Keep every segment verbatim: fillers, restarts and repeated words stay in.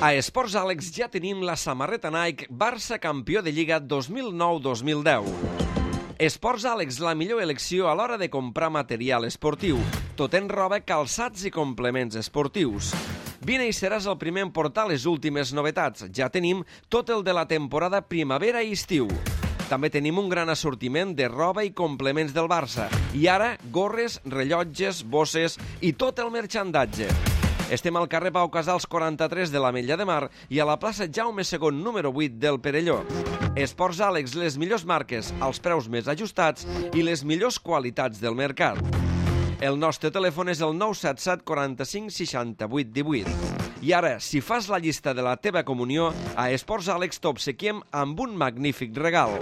A Esports Àlex ja tenim la samarreta Nike Barça campió de Lliga dos mil nou dos mil deu. Esports Àlex, la millor elecció a l'hora de comprar material esportiu, tot en roba, calçats i complements esportius. Vine i seràs el primer en portar les últimes novetats. Ja tenim tot el de la temporada primavera i estiu. També tenim un gran assortiment de roba i complements del Barça. I ara, gorres, rellotges, bosses i tot el marxandatge. Estem al carrer Pau Casals quaranta-tres de l'Ametlla de Mar i a la plaça Jaume segon número vuit del Perelló. Esports Àlex, les millors marques, als preus més ajustats i les millors qualitats del mercat. El nostre telèfon és el nou set set quaranta-cinc seixanta-vuit divuit. I ara, si fas la llista de la teva comunió, a Esports Àlex t'obsequiem amb un magnífic regal.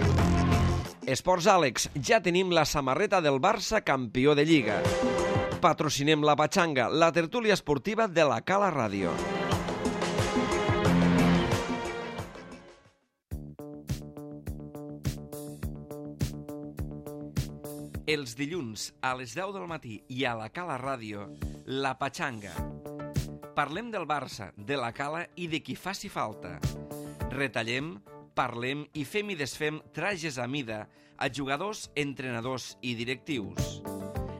Esports Àlex, ja tenim la samarreta del Barça campió de Lliga. Patrocinem la Patxanga, la tertúlia esportiva de la Cala Ràdio. Els dilluns a les deu del matí i a la Cala Ràdio, la Patxanga. Parlem del Barça, de la Cala i de qui faci falta. Retallem, parlem i fem i desfem trajes a mida a jugadors, entrenadors i directius.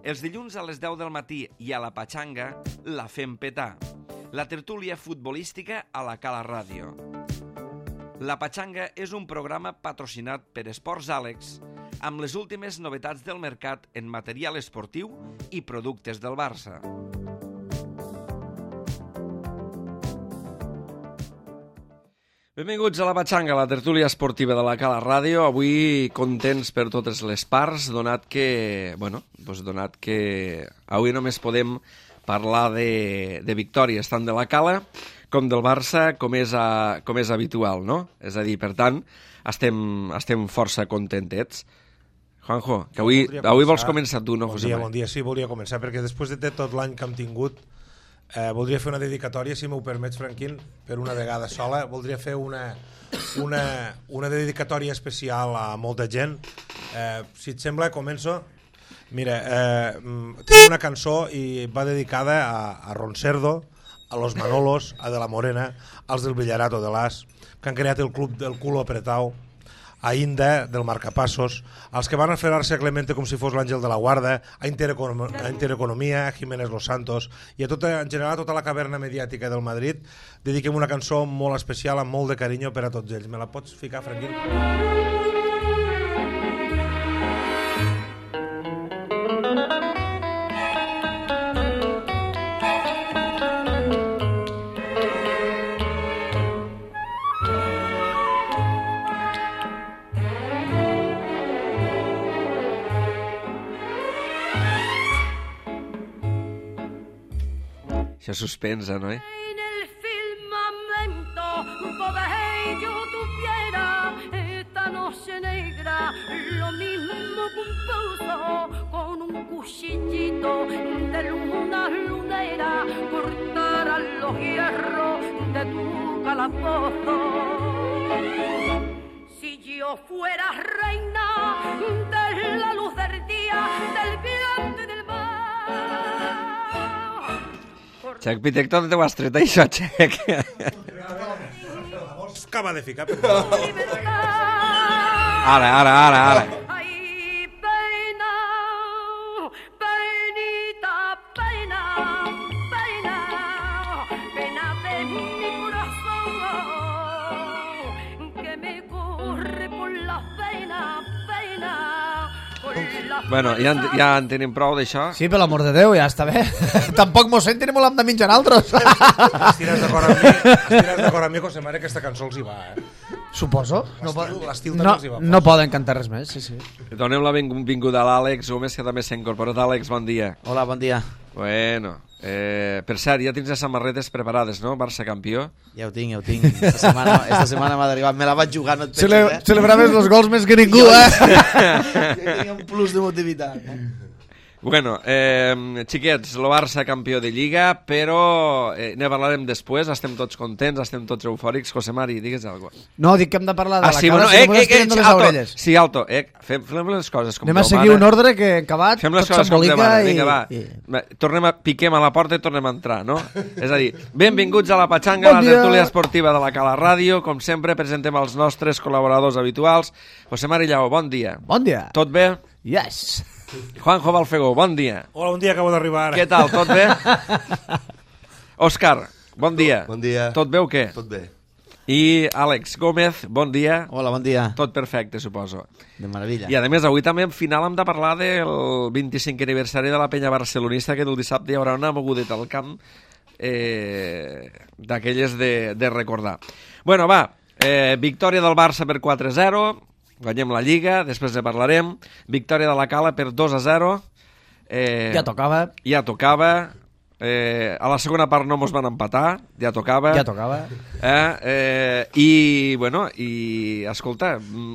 Els dilluns a les deu del matí i a la Patxanga la fem petar. La tertúlia futbolística a la Cala Ràdio. La Patxanga és un programa patrocinat per Esports Àlex amb les últimes novetats del mercat en material esportiu i productes del Barça. Benvinguts a la Patxanga, la tertúlia esportiva de la Cala Ràdio. Avui contents per totes les parts, donat que, bueno, doncs donat que avui només podem parlar de, de victòries tant de la Cala com del Barça, com és, a, com és habitual, no? És a dir, per tant, estem, estem força contentets. Juanjo, que avui, avui vols començar tu, no, bon José dia, María? Bon dia, sí, volia començar, perquè després de tot l'any que hem tingut, eh, voldria fer una dedicatòria, si m'ho permets, Franquín, per una vegada sola. Voldria fer una, una, una dedicatòria especial a molta gent. Eh, si et sembla, començo. Mira, eh, tinc una cançó i va dedicada a, a Ron Cerdo, a los Manolos, a De la Morena, als del Villarato de l'As, que han creat el club del culo apretau, a Inda, del Marcapassos, als que van aferrar-se a Clemente com si fos l'Àngel de la Guarda, a, Intereconom a Intereconomia, a Jiménez Los Santos, i a tota, en general a tota la caverna mediàtica del Madrid, dediquem una cançó molt especial, amb molt de carinyo per a tots ells. Me la pots ficar, Franquín? Això suspensa, no, eh? En el firmamento poder yo tuviera esta noche negra, lo mismo que un pozo con un cuchillito de luna lunera, cortaran los hierros de tu calabozo. Si yo fuera reina de la luz del día, del viento y del mar. Xec Pitec, tot ho has tret, això, Xec. Acaba de ficar. Ara, ara, ara, ara. Ay, pena, penita, pena, pena, pena de mi corazón, que me corre por la pena, pena, por la Bueno, ja en, ja en tenim prou d'això. Sí, per l'amor de Déu, ja està bé. Tampoc mos senten i molt hem de menjar altres. Estires d'acord amb mi, estires d'acord amb mi, José María, que aquesta cançó els hi va, eh? Suposo. No, L'estil- l'estil també no, els hi va. no poden cantar res més, sí, sí. Donem la benvinguda a l'Àlex Gómez, que també s'ha incorporat. Àlex, bon dia. Hola, bon dia. Bueno, eh, per cert, ja tens les samarretes preparades, no? Barça campió. Ja ho tinc, ja ho tinc. Esta setmana, esta setmana m'ha arribat. Me la vaig jugar, no et penses, Cele eh? celebraves els gols més que ningú, Jo- eh? Jo tenia un plus d'emotivitat. Bueno, eh, xiquets, el Barça campió de Lliga, però eh, ne parlarem després, estem tots contents, estem tots eufòrics. José Mari, digues alguna cosa. No, dic que hem de parlar de Ah, la sí, cara, bueno, si eh, no eh, estem eh, les alto, orelles. sí, alto, eh, fem, fem les coses com Anem a Déu seguir mana. un ordre que en acabat Fem les tot coses com Déu s'embolica mana, i... vinga, va. i... Va, tornem a, piquem a la porta i tornem a entrar, no? És a dir, benvinguts a la Patxanga, Bon la dia. tertúlia esportiva de la Cala Ràdio. Com sempre, presentem els nostres col·laboradors habituals. José Mari Lleó, bon dia. Bon dia. Tot bé? Yes. Juanjo Balfegó, bon dia. Hola, bon dia, acabo d'arribar ara. Què tal, tot bé? Òscar, bon dia. Bon dia. Tot bé o què? Tot bé. I Àlex Gómez, bon dia. Hola, bon dia. Tot perfecte, suposo. De meravella. I a més, avui també al final hem de parlar del vint-i-cinquè aniversari de la penya barcelonista, que el dissabte hi haurà una mogudeta al camp eh, d'aquelles de, de recordar. Bueno, va, eh, victòria del Barça per quatre a zero, guanyem la Lliga, després ne parlarem. Victòria de la Cala per dos a zero. Eh, Ja tocava. Ja tocava. Eh, a la segona part no mos van empatar, ja tocava. Ja tocava. Eh, eh, I, bueno, i, escolta,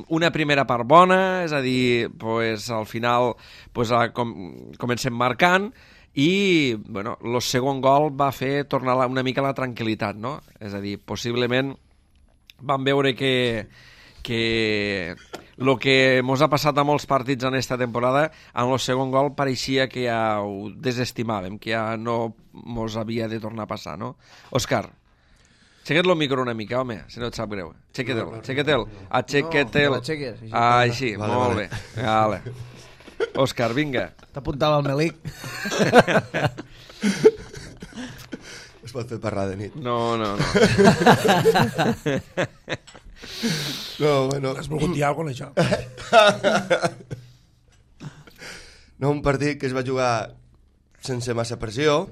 una primera part bona, és a dir, pues, al final pues, a, com, comencem marcant i, bueno, el segon gol va fer tornar la, una mica la tranquil·litat, no? És a dir, possiblement vam veure que que el que mos ha passat a molts partits en esta temporada, en el segon gol pareixia que ja ho desestimàvem, que ja no mos havia de tornar a passar, no? Òscar, aixeca't el micro una mica, home, si no et sap greu. Aixeca't-el, aixeca't-el, aixeca't-el. No, l'aixeques, així. Ah, així, Vale, molt vale. bé. Vale. Òscar, vinga. T'apuntava el Melic. Es pot fer parlar de nit. No, no, no. No, bueno... Has volgut dir alguna cosa, amb això? No, un partit que es va jugar sense massa pressió,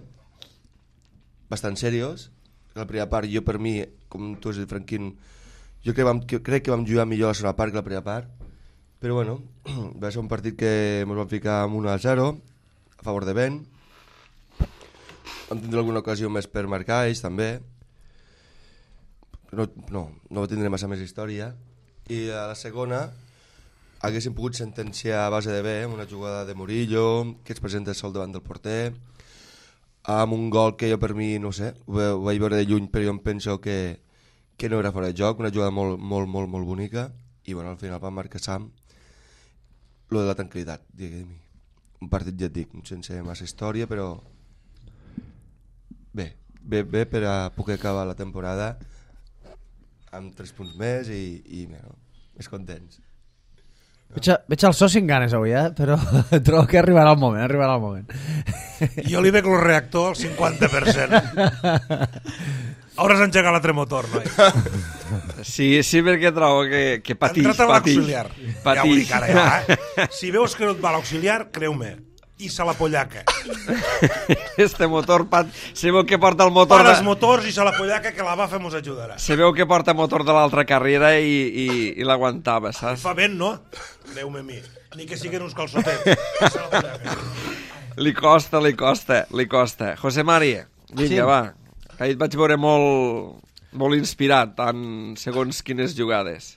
bastant seriós. La primera part, jo per mi, com tu has dit, Franquín, jo crec que vam, que, crec que vam jugar millor la segona part que la primera part, però bueno, va ser un partit que ens vam ficar amb un a zero, a favor de Ben. Vam tindre alguna ocasió més per marcar, ells també. No, no, no tindré massa més història. I a la segona haguéssim pogut sentenciar a base de bé, amb una jugada de Murillo, que es presenta sol davant del porter, amb un gol que jo per mi, no sé, ho, ve- ho vaig veure de lluny, però jo em penso que, que no era fora de joc, una jugada molt, molt, molt, molt bonica, i bueno, al final va marcar Sam lo de la tranquil·litat, diguem. Un partit, ja et dic, sense massa història, però bé, bé, bé per a poder acabar la temporada amb tres punts més i, i bueno, més contents. Veig, a- veig el soci en ganes avui, eh? Però trobo que arribarà el moment, arribarà el moment. Jo li veig el reactor al cinquanta per cent. Hauràs engegat l'altre motor, noi. Sí, sí, perquè trobo que, que patix, Entrat a patix. l'auxiliar. Ja ho Patix. dic ara, ja, eh? Si veus que no et va l'auxiliar, creu-me. I se la pollaca. Este motor, pat... se veu que porta el motor Per de... els motors i se la pollaca, que la bafa mos ajudarà. Se veu que porta motor de l'altra carrera i, i, i l'aguantava, saps? Fa vent, no? Creu-me a mi. Ni que siguin uns calçotets. Se la pollaca. Li costa, li costa, li costa. José Mari, vinga, Sí. va. Ahir et vaig veure molt, molt inspirat en segons quines jugades.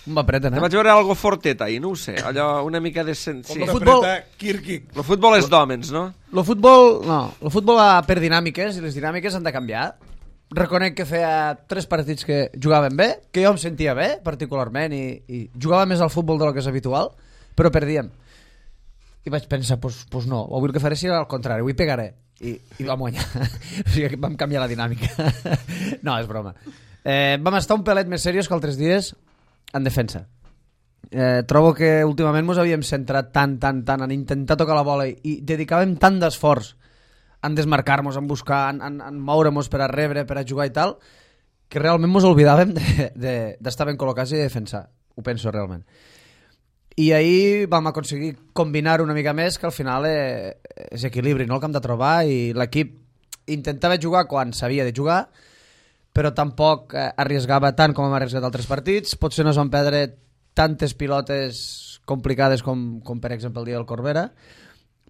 Un va apreten, Te eh? vaig veure algo fortet ahir, no ho sé, allò una mica de... Sen... Sí. Com El una futbol- preta Kirkik. El futbol és d'hòmens, no? El futbol, no, el futbol va per dinàmiques i les dinàmiques han de canviar. Reconec que feia tres partits que jugaven bé, que jo em sentia bé, particularment, i, i jugava més al futbol del que és habitual, però perdíem. I vaig pensar, pues, pues no, avui el que faré serà al contrari, avui pegaré. I, i vam guanyar. O sigui que vam canviar la dinàmica. No, és broma. Eh, vam estar un pelet més serios que altres dies en defensa. Eh, trobo que últimament ens havíem centrat tant, tant, tant en intentar tocar la bola i, i dedicàvem tant d'esforç en desmarcar-nos, en buscar, en, en, en moure-nos per a rebre, per a jugar i tal, que realment ens oblidàvem d'estar de, de, ben col·locats i de defensar. Ho penso realment. I ahir vam aconseguir combinar una mica més, que al final eh, és equilibri, no? El que hem de trobar, i l'equip intentava jugar quan s'havia de jugar, però tampoc eh, arriesgava tant com hem arriesgat altres partits. Potser no es van perdre tantes pilotes complicades com, com per exemple el dia del Corbera,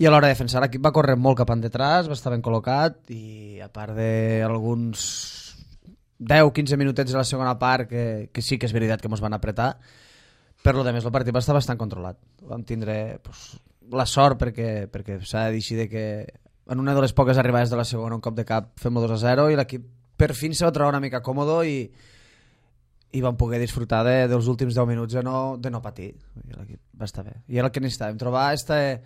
i a l'hora de defensar l'equip va córrer molt cap endetrás, va estar ben col·locat, i a part d'alguns deu quinze minutets de la segona part que, que sí que és veritat que ens van apretar, per lo de més el partit va estar bastant controlat. Vam tindre pues, la sort perquè, perquè s'ha de dir de que en una de les poques arribades de la segona un cop de cap fem dos a zero i l'equip per fin se va trobar una mica còmodo i, i vam poder disfrutar de, dels últims deu minuts de no, de no patir. L'equip va estar bé. I era el que necessitàvem, trobar este,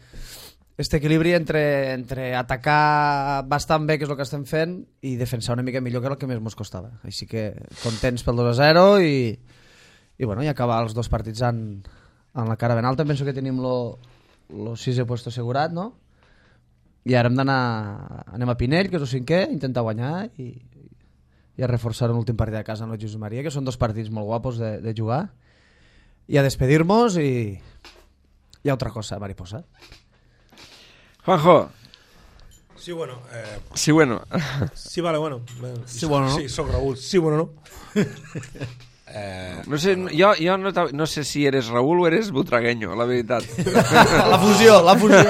este equilibri entre, entre atacar bastant bé, que és el que estem fent, i defensar una mica millor, que era el que més ens costava. Així que contents pel dos a zero i, i, bueno, i acabar els dos partits en, en la cara ben alta. Penso que tenim lo, lo sisè puesto assegurat, no? I ara hem d'anar, anem a Pinell, que és el cinquè, intentar guanyar i, i a reforçar l'últim partit de casa amb el Jesús Maria, que són dos partits molt guapos de, de jugar, i a despedir-nos i, i a otra cosa, mariposa. Juanjo. Sí, bueno. Eh... Sí, bueno. Sí, vale, bueno. Sí, bueno, no? Sí, soc Raúl. Sí, bueno, no? eh... No sé, jo, jo no, no sé si eres Raúl o eres butragueño, la veritat. La fusió, la fusió.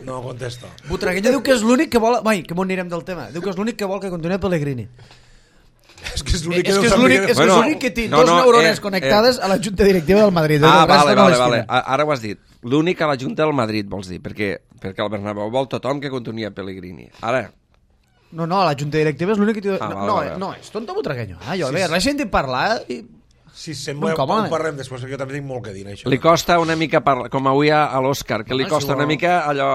No contesto. Butragueño diu que és l'únic que vol... Vai, que m'ho anirem del tema. Diu que és l'únic que vol que continuï Pellegrini. És que és l'únic És que és l'únic que, Bueno, és que té no, dos no, neurones eh, connectades eh. a la junta directiva del Madrid. Ah, El resto vale, no vale, les vale. tiene. Ara ho has dit. L'únic a la Junta del Madrid, vols dir, perquè, perquè el Bernabéu vol tothom que continuï a Pellegrini. Ara, No, no, la junta directiva és l'únic que... Ah, no, vale, no, vale. no, és tonto Butragueño. Ah, jo, Sí, sí, sí. l'he sentit parlar i... Si sembla, Un cop, ho home. parlem després, perquè jo també tinc molt que dir, això. li costa una mica, parlar, com avui a, a l'Òscar, que li No, costa si una vol- mica allò,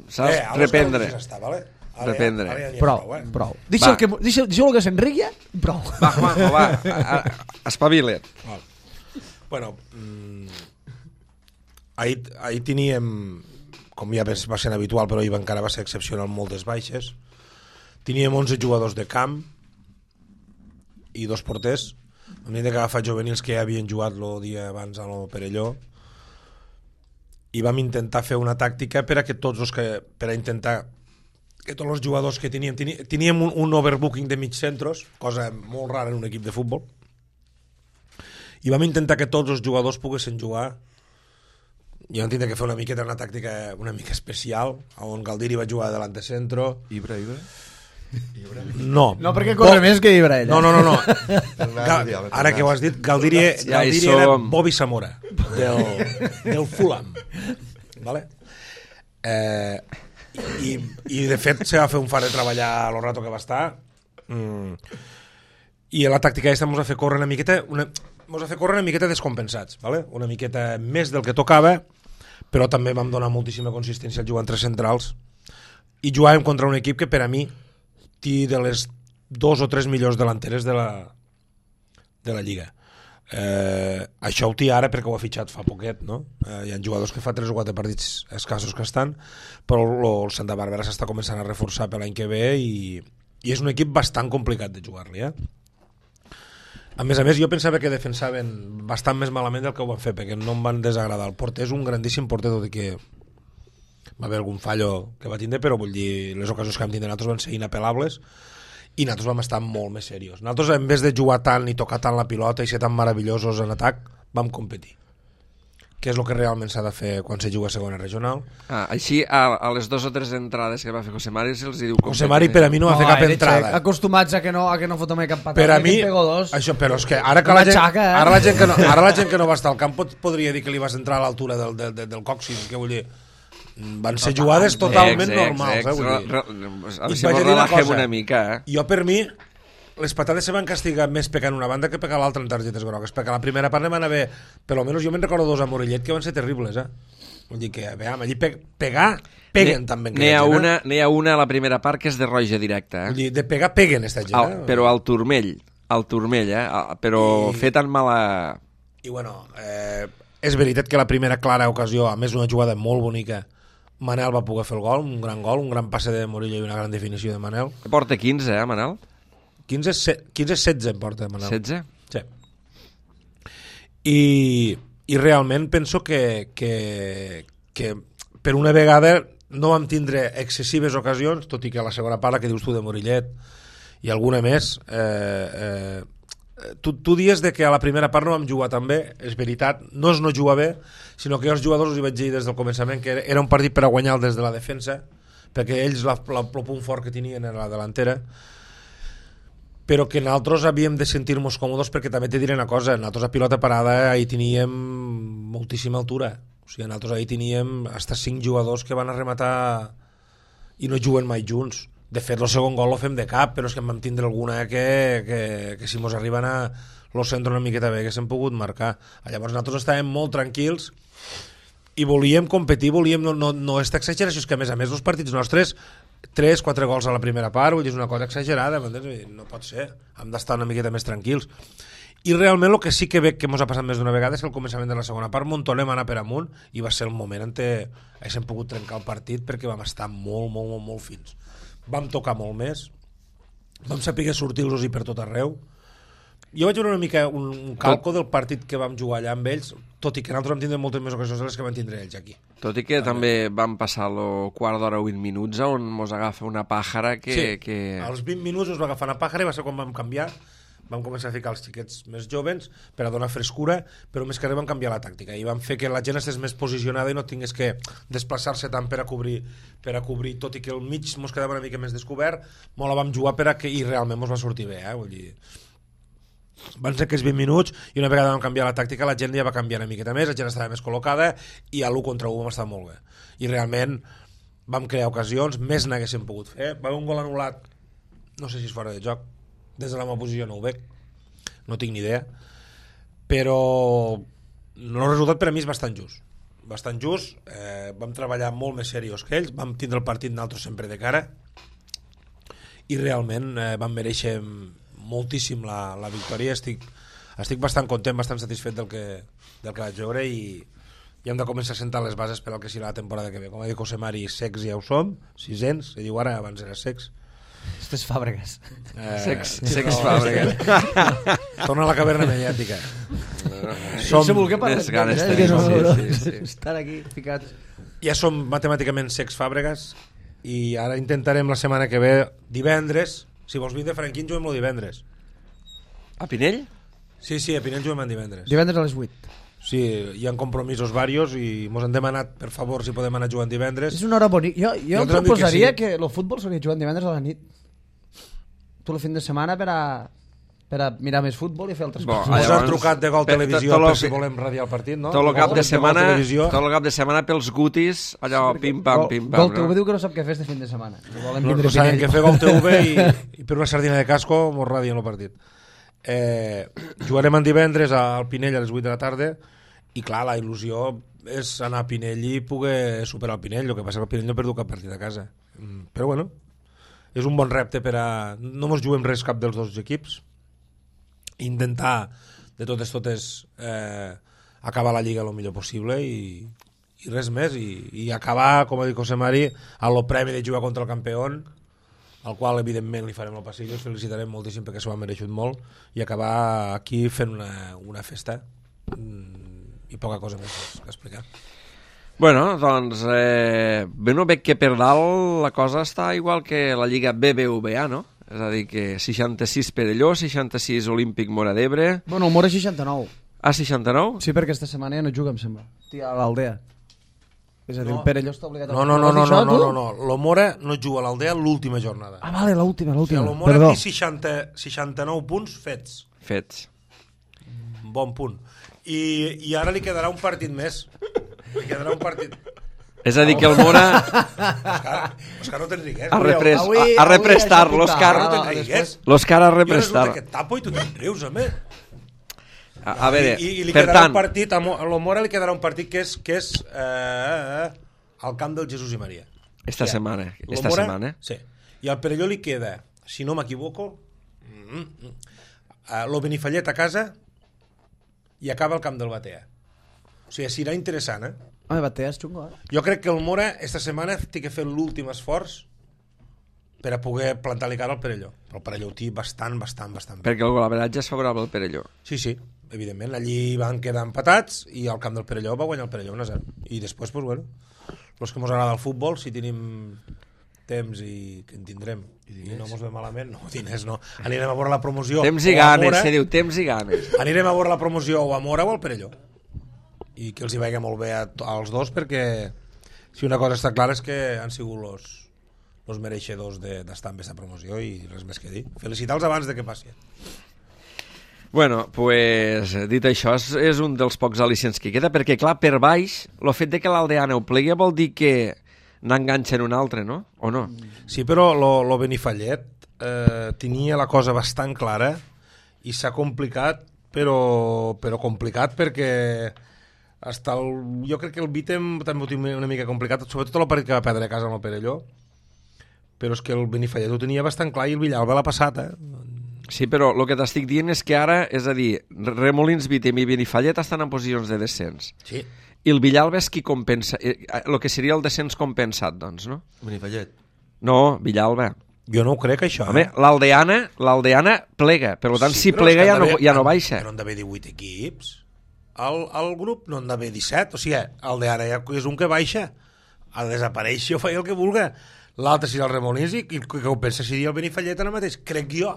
saps, Eh, a l'Òscar reprendre. ja està, vale? Ara Reprendre. Ja, ara ja n'hi ha Prou, prou, eh? prou. Deixa'l Va. que, deixa, deixa que s'enrigui i prou. Va, Juanjo, va, a- a- espavila't. Val. Bueno, mm, ahir, ahir teníem, com ja va ser habitual, però ahir encara va ser excepcional, moltes baixes. Teníem onze jugadors de camp i dos porters. Hem de agafar juvenils que ja havien jugat el dia abans al Perelló, i vam intentar fer una tàctica per a que tots els que, per a intentar que tots els jugadors que teníem teníem, teníem un, un overbooking de mig centros, cosa molt rara en un equip de futbol, i vam intentar que tots els jugadors poguessin jugar. Jo entenc que fer una miqueta una tàctica una mica especial, on Galdiri va jugar davant de centro. Ibra, Ibra. No, No, perquè corre més que Ibra, ella. no, no, no, no. Ga ara que ho has dit, Galdiri, Ja hi Galdiri era som. Bobby Zamora del, del Fulham, vale? Eh, i, i de fet se va fer un far de treballar a lo rato que va estar, mm, i la tàctica aquesta ens va fer córrer una miqueta una, ens va fer córrer una miqueta descompensats, vale? Una miqueta més del que tocava, però també vam donar moltíssima consistència al jugar en tres centrals, i jugàvem contra un equip que per a mi té de les dos o tres millors delanteres de la, de la Lliga. Eh, això ho té ara perquè ho ha fitxat fa poquet, no? Eh, hi ha jugadors que fa tres o quatre partits escassos que estan, però el, el Santa Bàrbara s'està començant a reforçar per l'any que ve i, i és un equip bastant complicat de jugar-li, eh? A més a més, jo pensava que defensaven bastant més malament del que ho van fer, perquè no em van desagradar. El porter és un grandíssim porter, tot i que va haver algun fallo que va tindre, però vull dir, les ocasions que vam tindre nosaltres van ser inapel·lables i nosaltres vam estar molt més serios. Nosaltres, en vez de jugar tant i tocar tant la pilota i ser tan meravellosos en atac, vam competir, que és el que realment s'ha de fer quan se juga a segona regional. Ah, així, a, a les dues o tres entrades que va fer José Mari se'ls diu... José Mari per a mi no va fer cap era entrada. xec, acostumats a que no, a que no foto mai cap patada. Per a que mi, en pego dos. això, però és que ara que Una la gent, xaca, eh? ara la gent que no, ara la gent que no va estar al camp pot, podria dir que li vas entrar a l'altura del, del, del, del còccix, que vull dir, van ser jugades totalment Ex, ex, normals, ex, eh, vull dir. re- re- A I veure si vaig mos a dir una relajem cosa. una mica, eh? Jo, per mi, les patades se van castigar més pecant una banda que pecar l'altra en targetes grogues, perquè a la primera part van haver, per almenys jo me'n recordo dos a Morellet que van ser terribles, eh? Vull dir que, a veure, allí pe pegar, peguen també. N'hi ha, una, n'hi ha una a la primera part que és de roja directa, Vull eh? dir, de pegar, peguen, esta gent, Al, eh? però al turmell, al turmell, eh? Ah, però I- fer tan mala... I bueno, eh, és veritat que la primera clara ocasió, a més una jugada molt bonica, Manel va poder fer el gol, un gran gol, un gran passe de Morillo i una gran definició de Manel. Porta quinze, eh, Manel? quinze, quinze setze en porta Manel. setze? Sí. I, i realment penso que, que, que per una vegada no vam tindre excessives ocasions, tot i que a la segona part, que dius tu de Morillet i alguna més, eh, eh, tu, tu dies de que a la primera part no vam jugar tan bé, és veritat, no és no jugar bé, sinó que jo als jugadors us hi vaig dir des del començament que era, era un partit per a guanyar des de la defensa, perquè ells la, la, el punt fort que tenien era la delantera, però que nosaltres havíem de sentir-nos còmodes perquè també te diré una cosa, nosaltres a pilota parada ahir teníem moltíssima altura, o sigui, nosaltres ahir teníem hasta cinc jugadors que van a rematar i no juguen mai junts. De fet, el segon gol lo fem de cap, però és que en vam tindre alguna que, que, que si mos arriben a lo centre una miqueta bé, que s'han pogut marcar. Llavors nosaltres estàvem molt tranquils i volíem competir, volíem no, no, no estar exagerat, és que a més a més els partits nostres tres, quatre gols a la primera part, vull dir, és una cosa exagerada, no pot ser, hem d'estar una miqueta més tranquils. I realment el que sí que veig que ens ha passat més d'una vegada és que al començament de la segona part Montonem va anar per amunt i va ser el moment en què haguéssim pogut trencar el partit perquè vam estar molt, molt, molt, molt fins. Vam tocar molt més, vam saber sortir-los-hi per tot arreu. Jo vaig veure una mica un, un calco del partit que vam jugar allà amb ells, tot i que nosaltres vam tindre moltes més ocasions de les que van tindre ells aquí. Tot i que també, també vam passar el quart d'hora o vint minuts on mos agafa una pàjara que... Sí, que... als vint minuts us va agafar una pàjara i va ser quan vam canviar, vam començar a ficar els xiquets més jovens per a donar frescura, però més que res vam canviar la tàctica i vam fer que la gent estigués més posicionada i no tingués que desplaçar-se tant per a cobrir, per a cobrir, tot i que el mig mos quedava una mica més descobert, molt la vam jugar per a que, i realment mos va sortir bé, eh? Vull dir, van ser aquells vint minuts i una vegada vam canviar la tàctica la gent ja va canviar una miqueta més, la gent estava més col·locada i a l'u contra u vam estar molt bé i realment vam crear ocasions, més n'haguéssim pogut fer. Va haver un gol anul·lat, no sé si és fora de joc, des de la meva posició no ho veig, no tinc ni idea, però el resultat per a mi és bastant just bastant just, eh, vam treballar molt més seriós que ells, vam tindre el partit nosaltres sempre de cara i realment eh, vam mereixer moltíssim la, la victòria. Estic, estic bastant content, bastant satisfet del que, del que vaig veure i, i hem de començar a sentar les bases per al que serà la temporada que ve. Com ha dit José Mari, secs ja ho som, sisens, se diu ara, abans era secs. Estes Fàbregas. Eh, Sex, sí, sex no, Fàbregas. Torna a la caverna mediàtica. Som... Se volgué parlar Més ganes eh? tenim, no, no, sí, sí, sí. Estar aquí ficats. Ja som matemàticament secs Fàbregas i ara intentarem la setmana que ve, divendres, si vols vindre Franquín, juguem el divendres. A Pinell? Sí, sí, a Pinell juguem en divendres. Divendres a les vuit. Sí, hi ha compromisos varios i mos han demanat, per favor, si podem anar jugant divendres. És una hora bonica. Jo, jo, Jo em t'ho dic proposaria que que, sí. que el futbol s'hauria jugat divendres a la nit. Tu el fin de setmana per a, per a mirar més futbol i fer altres Bo, coses. Mos llavors, han trucat de Gol per- Televisió tot lo per si que- volem radiar el partit, no? Tot el cap de setmana, Televisió. tot el cap de setmana pels gutis, allò pim pam pim pam, Gol T V no? diu que no sap què fer este fin de setmana. No volen No, vindre no saben Pinell. què fer Gol T V i, i per una sardina de casco mos radien el partit. Eh, jugarem en divendres al Pinell a les vuit de la tarda i clar, la il·lusió és anar a Pinell i poder superar el Pinell. El que passa que el Pinell no ha perdut cap partit a casa. Mm, però bueno, és un bon repte per a... No mos juguem res cap dels dos equips. Intentar de totes totes eh, acabar la Lliga el millor possible i, i res més. I, i acabar, com ha dit José Mari, a lo premi de jugar contra el campió, al qual evidentment li farem el passillo, ens felicitarem moltíssim perquè s'ho ha mereixut molt i acabar aquí fent una, una festa mm, i poca cosa més que explicar. Bueno, doncs, eh, bé, no veig que per dalt la cosa està igual que la Lliga B B V A, no? És a dir, que seixanta-sis Perelló, seixanta-sis Olímpic Mora d'Ebre... Bueno, el Mora seixanta-nou. Ah, seixanta-nou? Sí, perquè aquesta setmana ja no juga, em sembla. Tia, a l'Aldea. És a dir, No. el Perelló està obligat a... No, no, no, Has no, dit no, això, no, tu? no, no. L'Omora no juga a l'Aldea l'última jornada. Ah, vale, l'última, O sigui, l'última. l'Omora Perdó. té seixanta, seixanta-nou punts fets. Fets. Bon punt. I, i ara li quedarà un partit més. Li quedarà un partit... És a dir, que el Mora Òscar, Òscar no t'enriqués. ha repres, avui- ha, ha avui represtar, això l'Òscar. No Ah, t'enriqués. L'Òscar ha Jo resulta represtar. que et tapo i tu te'n rius, home. A, a veure, I, i li per quedarà tant, un partit, a Mo- a l'Omora li quedarà un partit que és, que és eh, al camp del Jesús i Maria. esta Ja. setmana, esta L'Omora, setmana, Sí. I al Perelló li queda, si no m'equivoco, mm, mm, uh, lo Benifallet a casa i acaba al camp del Batea. O sigui, serà interessant, eh? Home, Batea és xungo, eh? Jo crec que el Mora esta setmana té que fer l'últim esforç per a poder plantar-li cara al Perelló. Però el Perelló ho té bastant, bastant, bastant bé. perquè el golaveratge és favorable al Perelló. Sí, sí, evidentment. Allí van quedar empatats i al camp del Perelló va guanyar el Perelló un a zero. I després, pues, bueno, els que ens agrada el futbol, si tenim temps i que en tindrem i, I no mos ve malament, no, diners no. Anirem a veure la promoció Temps i o a ganes, Mora, se diu, temps i ganes. anirem a veure la promoció o a Mora o al Perelló. I que els hi vagi molt bé a, to- als dos perquè si una cosa està clara és que han sigut los, els mereixedors d'estar en aquesta promoció i res més que dir. Felicitar-los abans de que passi. Bueno, pues, dit això, és, és un dels pocs al·licients que queda, perquè, clar, per baix, el fet de que l'Aldeana ho plegui vol dir que n'enganxen un altre, no? O no? Sí, però lo, lo Benifallet eh, tenia la cosa bastant clara i s'ha complicat, però, però complicat perquè hasta el, jo crec que el Vítem també ho tinc una mica complicat, sobretot el partit que va perdre a casa amb el Perelló, però és que el Benifallet ho tenia bastant clar i el Villalba l'ha passat, eh? Sí, però el que t'estic dient és que ara, és a dir, Remolins, Vítem i Benifallet estan en posicions de descens. Sí. I el Villalba és qui compensa, el que seria el descens compensat, doncs, no? Benifallet. No, Villalba. Jo no ho crec, això. Home, eh? l'Aldeana, l'Aldeana plega, per tant, Sí, si però és plega que ja no, d'haver- ja no baixa. Però han d'haver divuit equips. Al, al grup no han d'haver disset. O sigui, el d'ara ja és un que baixa. Ha de desaparèixer o fa el que vulga. L'altre serà el Remolins i que que ho pensa seria el Benifallet ara mateix. Crec jo.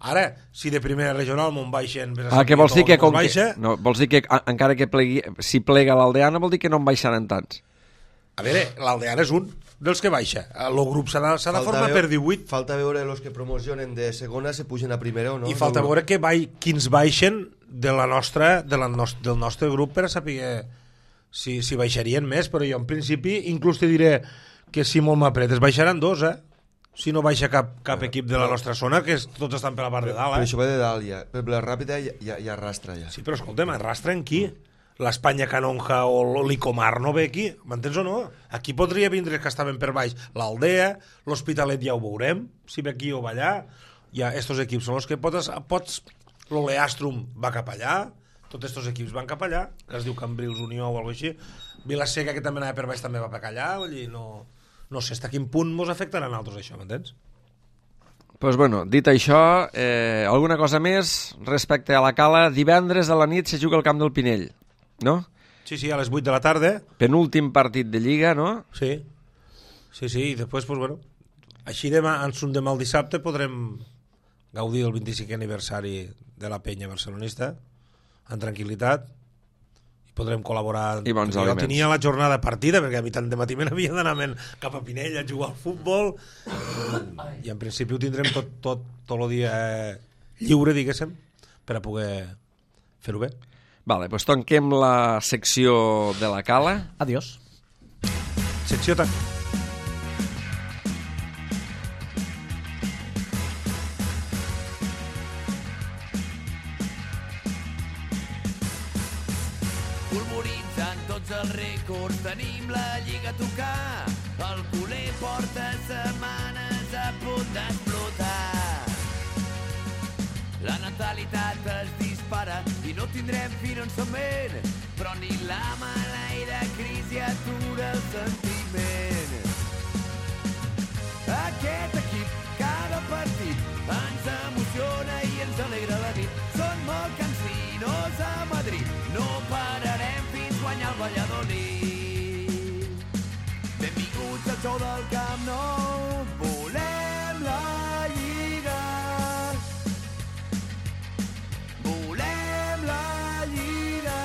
Ara, si de primera regional m'on baixen... Ah, que vols dir que, com que, baixa, no, vols dir que a, encara que plegui, si plega l'Aldeana vol dir que no en baixaran tants. a veure, l'Aldeana és un dels que baixa. El grup s'ha de, s'ha de Falta formar veu- per divuit Falta veure els que promocionen de segona se pugen a primera o no. i falta No, veure que bai, quins baixen de la nostra, de la nos, del nostre grup per a saber si, si baixarien més, però jo en principi inclús te diré que si molt m'apretes baixaran dos, eh? Si no baixa cap, cap equip de la nostra zona, que és, tots estan per la part de dalt, Però eh? això va de dalt ja. Per la ràpida ja, ja, ja arrastra ja. Sí, però escolta'm, arrastren qui? L'Espanya Canonja o l'Icomar no ve aquí, m'entens o no? Aquí podria vindre que estaven per baix l'Aldea, l'Hospitalet ja ho veurem, si ve aquí o va allà. Ja, estos equips són els que pots... pots l'Oleastrum va cap allà, tots estos equips van cap allà, que es diu Cambrils Unió o alguna cosa així. Vilaseca, que també anava per baix, també va per allà, vull dir, no... No sé fins a quin punt mos afectarà a nosaltres això, m'entens? Pues bueno, dit això, eh, alguna cosa més respecte a la Cala. Divendres a la nit se juga al camp del Pinell, no? Sí, sí, a les vuit de la tarda. Penúltim partit de Lliga, no? Sí, sí, sí, i després, pues, bueno, així demà, en son demà el dissabte, podrem gaudir del vint-i-cinquè aniversari de la penya barcelonista en tranquil·litat i podrem col·laborar. I bons jo aliments. tenia la jornada partida perquè a mi tant de matí me n'havia d'anar cap a Pinell a jugar al futbol i en principi ho tindrem tot, tot, tot el dia lliure, diguéssim, per a poder fer-ho bé. Vale, doncs tanquem la secció de la Cala. Adiós. Secció tan... Polvoritzant tots els rècords, tenim la lliga a tocar. El culer porta setmanes a punt d'explotar. La natalitat es dispara i no tindrem fi no en som ben, però ni la maleïda crisi atura el sentiment. Aquest equip, cada partit, ens emociona i ens alegra la nit. Són molt cansinos a Madrid, no pararem fins guanyar el Valladolid. Benvinguts al show del Camp Nou, volem la Lliga. Volem la Lliga.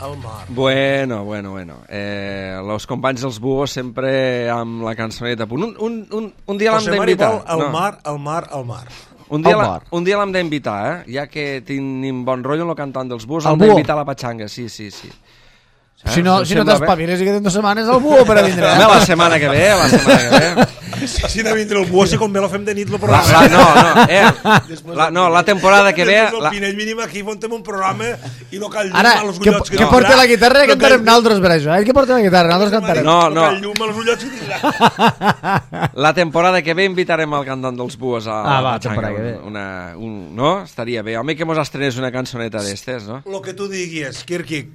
El mar. Bueno, bueno, bueno. Eh, los companys dels Buos sempre amb la cançoneta. Un, un, un, un dia l'hem José Mari d'invitar. vol el mar, el mar, el mar. Un dia, Al la, bar. un dia l'hem d'invitar, eh? Ja que tenim bon rotllo amb el cantant dels Buos, El l'hem Buo. d'invitar a la Patxanga, sí, sí, sí. Eh? Si no, Us si no sembla bé? t'espaviles i queden dues setmanes al buo per a vindre. Home, la setmana que ve, la setmana que ve. Si de vindre el buo, si com bé lo fem de nit, lo La, programa. la, no, no, eh? La, no, la temporada que ve... El La, Pinell mínim aquí fontem un programa i no cal llum Ara, a los que, ullots. que tindrà. porti la guitarra i No cantarem cal- nosaltres per això. Eh? Que porti la guitarra, nosaltres cantarem. No, no. cal llum a los ullots i tindrà. la temporada que ve invitarem al cantant dels Buos a Ah, a va, la Patxanga. temporada que ve. Una, un, no? Estaria bé. Home, que mos estrenés una cançoneta d'estes, no? Lo que tu diguis, Kirkik.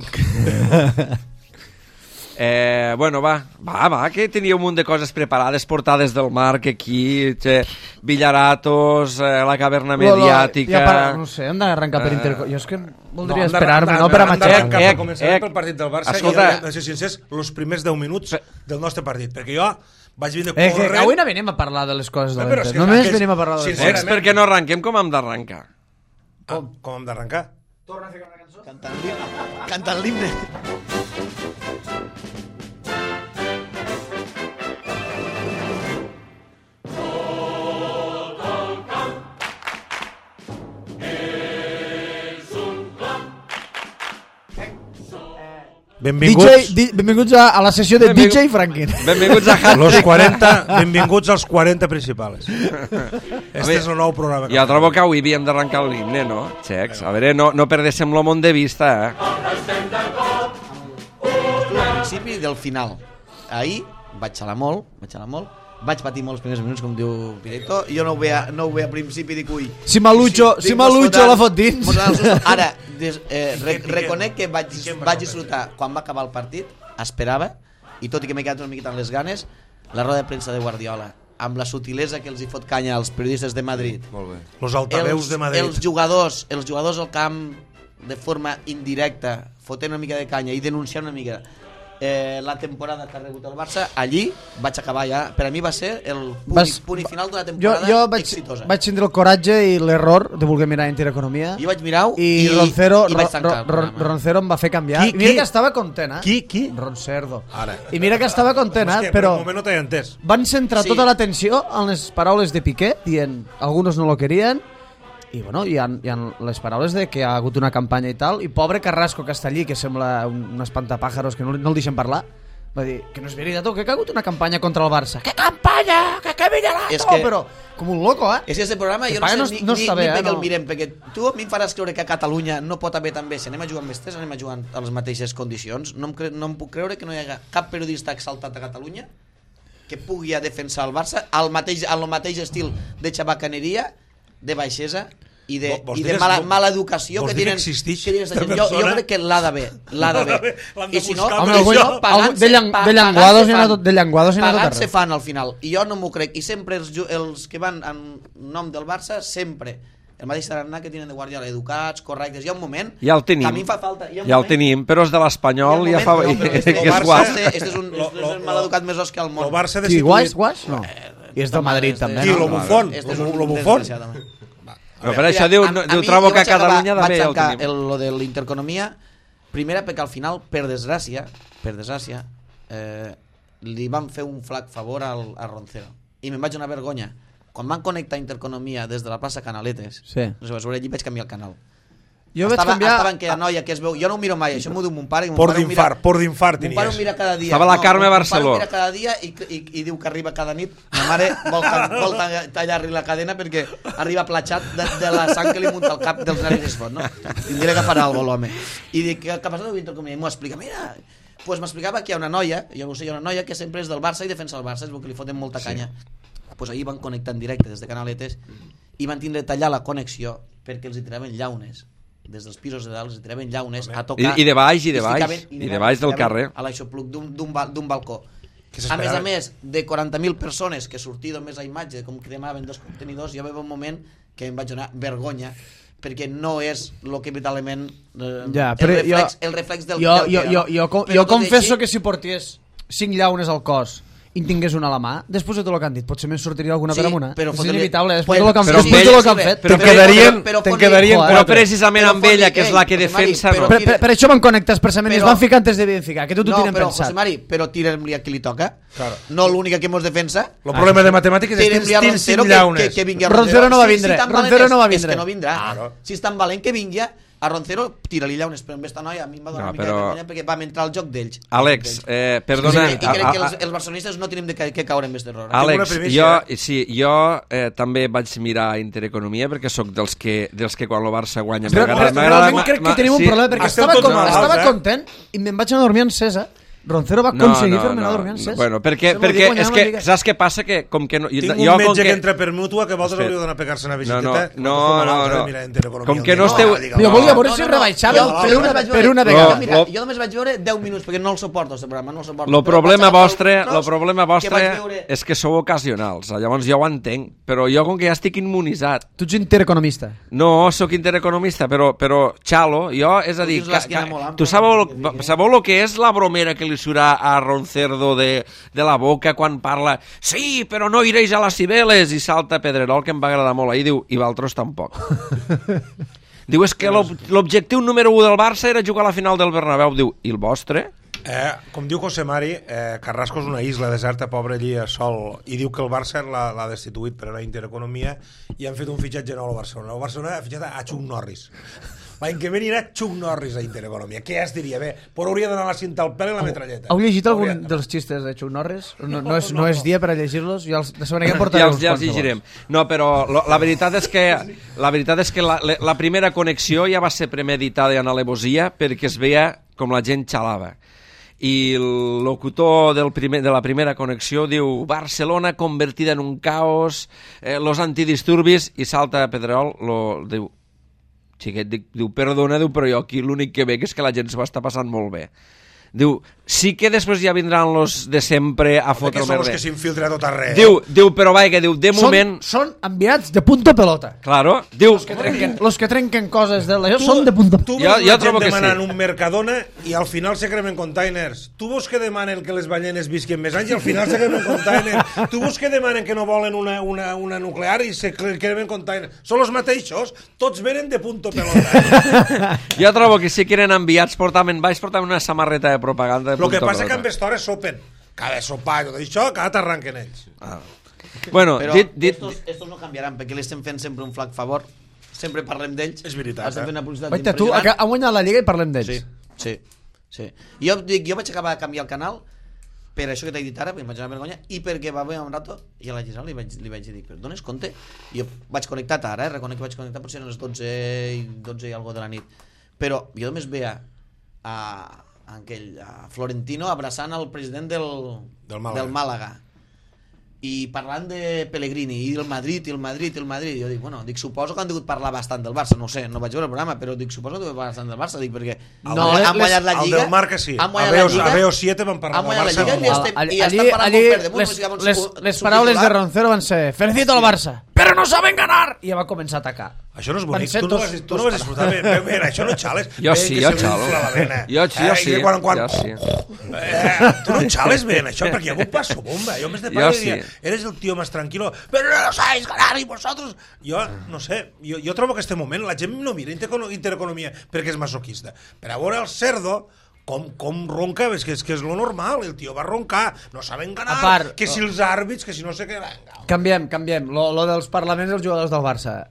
Eh, bueno, va, va, va, que tenia un munt de coses preparades, portades del Marc aquí, che, Villaratos, eh, la caverna mediàtica... Ja per, no sé, hem d'arrencar per Interco... Jo és que voldria hem de- esperar-me, hem de- no per a hem matxacar. d'arrencar Eh, per començar eh, pel partit del Barça escolta. i hem de ser sincers, els primers deu minuts del nostre partit, perquè jo vaig vindre Eh, que corrent... avui no venim a parlar de les coses de Eh, però és l'Inter. que Només aquells- venim a parlar de les sincerament- coses. Ex, perquè no arrenquem com hem d'arrencar. Com, com hem d'arrencar? Cantant l'himne. Cantant l'himne. Benvinguts. D J, di, benvinguts a, a la sessió de Benvingut. D J Franklin. Benvinguts a Hat Los quaranta, benvinguts als quaranta principals. Este és el nou programa. Jo trobo que avui havíem d'arrencar l'himne, no? Xecs, a veure, no, no perdéssim lo món de vista, eh? Al principi del final. Ahir vaig xalar molt, vaig xalar molt, vaig patir molts primers minuts, com diu Pireto, jo no ho veia, no ho veia a principi, dic, ui... Si Malucho, si Malucho la fot dins. Ara, des, eh, re, reconec que vaig, vaig disfrutar, quan va acabar el partit, esperava, i tot i que m'he quedat una miqueta amb les ganes, la roda de premsa de Guardiola, amb la sutilesa que els hi fot canya als periodistes de Madrid. Molt bé. Los altaveus els, de Madrid. Els jugadors, els jugadors al camp de forma indirecta, fotent una mica de canya i denunciant una mica eh, la temporada que ha rebut el Barça, allí vaig acabar ja. Per a mi va ser el punt, Vas, punt i final d'una Jo, temporada jo vaig, exitosa. vaig tindre el coratge i l'error de voler mirar Intereconomia. Jo vaig mirar i, i, Roncero, i vaig tancar el Ron, programa. Roncero em va fer canviar. Qui, I mira qui? que estava content, eh? Qui, qui? Roncerdo. Ara. I mira que estava content, eh? Hòstia, Però per un moment no t'he entès. van centrar Sí. tota l'atenció en les paraules de Piqué, dient algunos no lo querían, i bueno, hi ha, hi ha les paraules de que ha hagut una campanya i tal, i pobre Carrasco que està allí, que sembla un, un espantapàjaros que no, no el deixen parlar, va dir que no és veritat, que ha hagut una campanya contra el Barça. Que campanya? Que que Villalato? És que- Però com un loco, eh? És que este programa jo no Campanya sé no- ni, no ni, està ni bé, bé eh, que el no. mirem, perquè tu a mi em faràs creure que a Catalunya no pot haver també, si anem a jugar amb mestres, anem a jugar a les mateixes condicions. No em, cre no em puc creure que no hi haga cap periodista exaltat a Catalunya que pugui a defensar el Barça al mateix, al mateix estil de xabacaneria, de baixesa i de, Vo- vols i dir de que- mala, vo- mala educació vols que dir que tenen, existix que tenen esta esta gent. Jo, jo persona? crec que l'ha d'haver, l'ha d'haver. L'han de I si no, buscar, home, per algú, això. no, pagant-se de llang- pa- de llenguados pagant-se n'hi ha fan. tot- de llenguados n'hi ha tot Pagant-se arreu. fan al final. I jo no m'ho crec. I sempre els, ju- els que van en nom del Barça, sempre el mateix tarannà que tenen de Guardiola, educats, correctes. Hi ha un moment Ja el tenim. que a mi em fa falta. Hi ha un Ja el moment- tenim, però els de l'Espanyol hi ha ja un fa... moment- no, però este- que és Barça- guap. Este, este és un, Lo- este és lo- el maleducat més os que al món. El Barça Sí, destituït... guais, guais? No. I és del Madrid, Este- també, Qui, no? lo bufón? Este és Lo- un lo bufón? desgraciat, home. Però per Mira, això diu, a- no, a diu mi trobo jo que a vaig acabar- Catalunya també vaig ja el tancar tenim. el, lo de l'interconomia, primera perquè al final, per desgràcia, per desgràcia, eh, li van fer un flac favor al, a Roncero. I me'n vaig donar vergonya. Quan van connectar Interconomia des de la plaça Canaletes, Sí. no sé, vas veure allí, vaig canviar el canal. Jo vaig estava, canviar... estava en aquella noia que es veu... Jo no ho miro mai, això m'ho diu mon pare. i mon Por pare ho mira- d'infart, por d'infart Mon pare ho tenies. mira cada dia. Estava la Carme mon- Barceló. Mon pare ho mira cada dia i, i, i diu que arriba cada nit. Ma mare vol, vol tallar-li la cadena perquè arriba platxat de, de la sang que li munta al cap dels nervis es fot, no? Tindré que farà alguna cosa, l'home. I dic, què, què passa amb Interconomia? I m'ho explica, mira... Pues m'explicava que hi ha una noia, jo no ho sé, hi ha una noia que sempre és del Barça i defensa el Barça, és el que li foten molta canya. Pues ahir van connectar en directe des de Canaletes i van tindre de tallar la connexió perquè els hi tiraven llaunes des dels pisos de dalt, els hi tiraven llaunes a tocar. I- i de baix, i de es baix, ficaven- i de baix del ficaven carrer. a l'aixopluc d'un d'un bal- d'un balcó. Que A s'esperaven. més a més, de quaranta mil persones que sortia només a imatge, com cremaven dos contenidors, jo va un moment que em vaig donar vergonya perquè no és el que veritablement eh, Ja, el, però reflex, jo- el reflex del, Jo, del jo, que era, jo, no? jo, jo, Però jo tot i confesso així- que si portés cinc llaunes al cos i en tingués una a la mà, després de tot el que han dit, potser me'n sortiria alguna Sí, per amunt. però És fotre-li- inevitable, després Bueno, de lo que han però fet. amb Després de lo ell- que han fet. Te'n Però- quedarien, però- però te'n fot-li- quedarien Però quatre. precisament Però amb ella, fot-li- que és la que Ei, José Mari, defensa... però- Ro- Per, per, per això van connectar expressament i es Però- van ficar antes de verificar, que tot ho No, tenen però, pensat. José Mari, però tirem-li a qui li toca. Claro. No l'única que mos defensa. El problema de matemàtiques és que Tirem-li a tens Roncero cinc que, llaunes. que, que vingui a Roncero no va Si- vindre, si tan valent Roncero és- no va És vindre. que no vindrà. Claro. Si és tan valent que vingui a Roncero, tira-li llaunes, però amb esta noia a mi em va donar No, una mica però- de vergonya perquè vam entrar al joc d'ells. Àlex, eh, perdona... I, i crec a- que a- els, els barcelonistes no tenim de ca- que caure en aquest error. Àlex, una jo, primícia. sí, jo eh, també vaig mirar Intereconomia perquè sóc dels que, dels que quan el Barça guanya Però, m'agrada- però, m'agrada- realment crec que ma- tenim un sí. problema, perquè Esteu estava, tots con, malalts, estava eh? content i me'n vaig anar a dormir encesa. Roncero va aconseguir fer-me anar a dormir encesa. Bueno, perquè, Se m'ho perquè dic, és no que, digues. saps què passa? Que com que no, Tinc jo, un com metge que... que entra per mútua que vosaltres Espera. hauríeu d'anar a pegar-se una No, visiteta. no, quan no, esteu no, malalts, no. de mirar Intereconomia. Com que no Dic, esteu- digue-ho. Jo volia veure No, si no, no. rebaixaven Jo- per jo una, només vaig per veure- una No, vegada. Mira, lo- jo només vaig veure deu minuts perquè no el suporto, aquest programa, no el suporto. Lo Però problema vaig agafar vostre, el lo tros problema que vaig vostre veure- és que sou ocasionals. Llavors jo ho entenc, però jo com que ja estic immunitzat. Tu ets intereconomista. No, sóc intereconomista, però, però xalo, jo, és a dir, tens l'esquena ca- molt ca- ampla, tu sabeu, que digui, eh? sabeu lo que és la bromera que li surà a Roncerdo de, de la boca quan parla sí, però no iréis a les Cibeles i salta Pedrerol, que em va agradar molt ahir, diu, i Valtros tampoc. Diu, és que l'ob- l'objectiu número un del Barça era jugar a la final del Bernabéu. Diu, i el vostre? Eh, com diu José Mari, eh, Carrasco és una isla deserta, pobre allí a sol, i diu que el Barça l'ha l'ha destituït per a la Intereconomia i han fet un fitxatge nou al Barcelona. El Barcelona ha fitxat a Chuck Norris. L'any que ve anirà Chuck Norris a Intereconomia. Què es diria? Bé, però hauria d'anar la cinta al pèl i la metralleta. Heu llegit algun Hauria... dels xistes de Chuck Norris? No, no, és, no és dia per a llegir-los? Ja els, de segona que portaré ja uns els, ja els llegirem. No, però lo, la veritat és que la veritat és que la, la primera connexió ja va ser premeditada en alevosia perquè es veia com la gent xalava. I el locutor del primer, de la primera connexió diu Barcelona convertida en un caos, eh, los antidisturbis, i salta a Pedrerol, lo, diu xiquet, dic, diu, perdona, diu, però jo aquí l'únic que veig és que la gent s'ho està passant molt bé. Diu, sí que després ja vindran los de sempre a fotre el merder. Que són els que s'infiltra tot arreu. Diu, diu, però vaja, diu, de són, moment... Són enviats de punto pelota. Claro, diu... Los que trenquen, los que trenquen coses de la... Són de punto pelota. Tu veus la gent demanant un Mercadona i al final se cremen containers. Tu veus que demanen que les ballenes visquen més anys i al final se cremen containers. Tu veus que demanen que no volen una, una, una nuclear i se cremen containers. Són els mateixos, tots venen de punto pelota. Jo trobo que sí que eren enviats, portaven baix, portaven una samarreta de propaganda de Lo que punto passa pelota. que amb estores sopen. Cada sopar i tot això, cada t'arranquen ells. Ah. Bueno, Però dit, dit, estos, estos no canviaran perquè li estem fent sempre un flac favor, sempre parlem d'ells. És veritat, estem eh? fent una publicitat Oita, tu impressionant. ha guanyat la Lliga i parlem d'ells. Sí, sí, sí. Jo, dic, jo vaig acabar de canviar el canal per això que t'he dit ara, perquè em vaig anar a vergonya, i perquè va haver un rato, i a la Gisela li vaig, li vaig dir, però dones compte? I jo vaig connectat ara, eh? Reconec que vaig connectar, potser eren les dotze i, dotze i algo de la nit. Però jo només veia a, a, aquell, a Florentino abraçant el president del, Del Màlaga. del Màlaga. I parlant de Pellegrini i el Madrid, i el Madrid, i el Madrid, jo dic, bueno, dic, suposo que han degut parlar bastant del Barça, no ho sé, no vaig veure el programa, però dic, suposo que han degut parlar bastant del Barça, dic, perquè No, han, han guanyat la el Lliga. del Marca sí. Han A guanyat la Veo, Lliga. a Veo siete van parlar Han del guanyat la Barça. Lliga i, normal. estem, Allí, i estan parlant allí, molt per damunt. les, no sé, llavors, les, su- les su paraules de titular- Roncero van ser felicito al Barça, però no saben ganar, i ja va començar a atacar. Això no és Van bonic, ser tu no dos- vas, tu no dos- vas disfrutar bé, bé, bé, això no xales. Jo Bé, sí, que jo se li xalo. infla la vena. Jo sí, jo Eh, sí, i quan, quan, jo sí. Eh, tu no xales bé en això, perquè hi ha un passo bomba. Jo més de Jo pare sí. diria, eres el tío más tranquilo, pero no lo sabéis ganar y vosotros... Jo, no sé, jo, jo trobo que este moment la gent no mira interecono- intereconomia perquè és masoquista. Per a veure el cerdo, com, com ronca, és que, és que és lo normal, el tio va roncar, no saben ganar, A part, que si els àrbits, que si no sé què... Venga. Canviem, canviem. Lo, lo dels parlaments dels jugadors del Barça.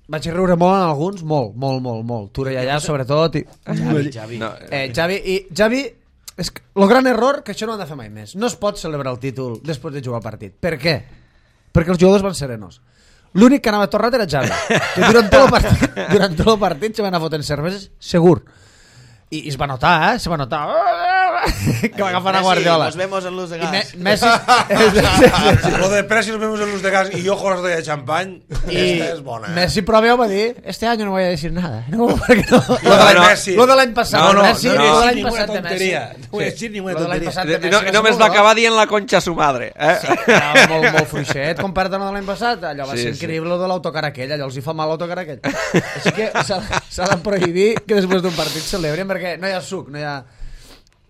Vaig riure molt en alguns, molt, molt, molt, molt. Tura i allà, sobretot. I... Javi, Javi. No, Eh, Javi, i Javi, és que, lo gran error, que això no ho han de fer mai més. No es pot celebrar el títol després de jugar el partit. Per què? Perquè els jugadors van serenos. L'únic que anava torrat era Javi, que durant tot el partit, durant tot el partit se va anar fotent cerveses, segur. I, i es va notar, eh? Se va notar que va agafar a Guardiola. Nos vemos en luz de I gas. Me, Messi... Lo de Presi nos vemos en luz de gas y yo con de champán, I esta és bona. Eh? Messi pròpio va dir, este año no voy a decir nada. No, perquè no. Lo de no, Messi. Lo de l'any passat No, no, de Messi, no, lo no, de no, l'any ninguna passat de Messi. tonteria. No voy a decir ninguna Lo de l'any tonteria. passat de Messi no, va ser només molt va bo. acabar dient la concha a su madre. Eh? Sí, era molt, molt fluixet comparat amb el de l'any passat. Allò va Sí, ser sí. increïble, lo de l'autocar aquell, allò els hi fa mal l'autocar aquell. Així que s'ha s'ha de prohibir que després d'un partit celebrin perquè no hi ha suc, no hi ha...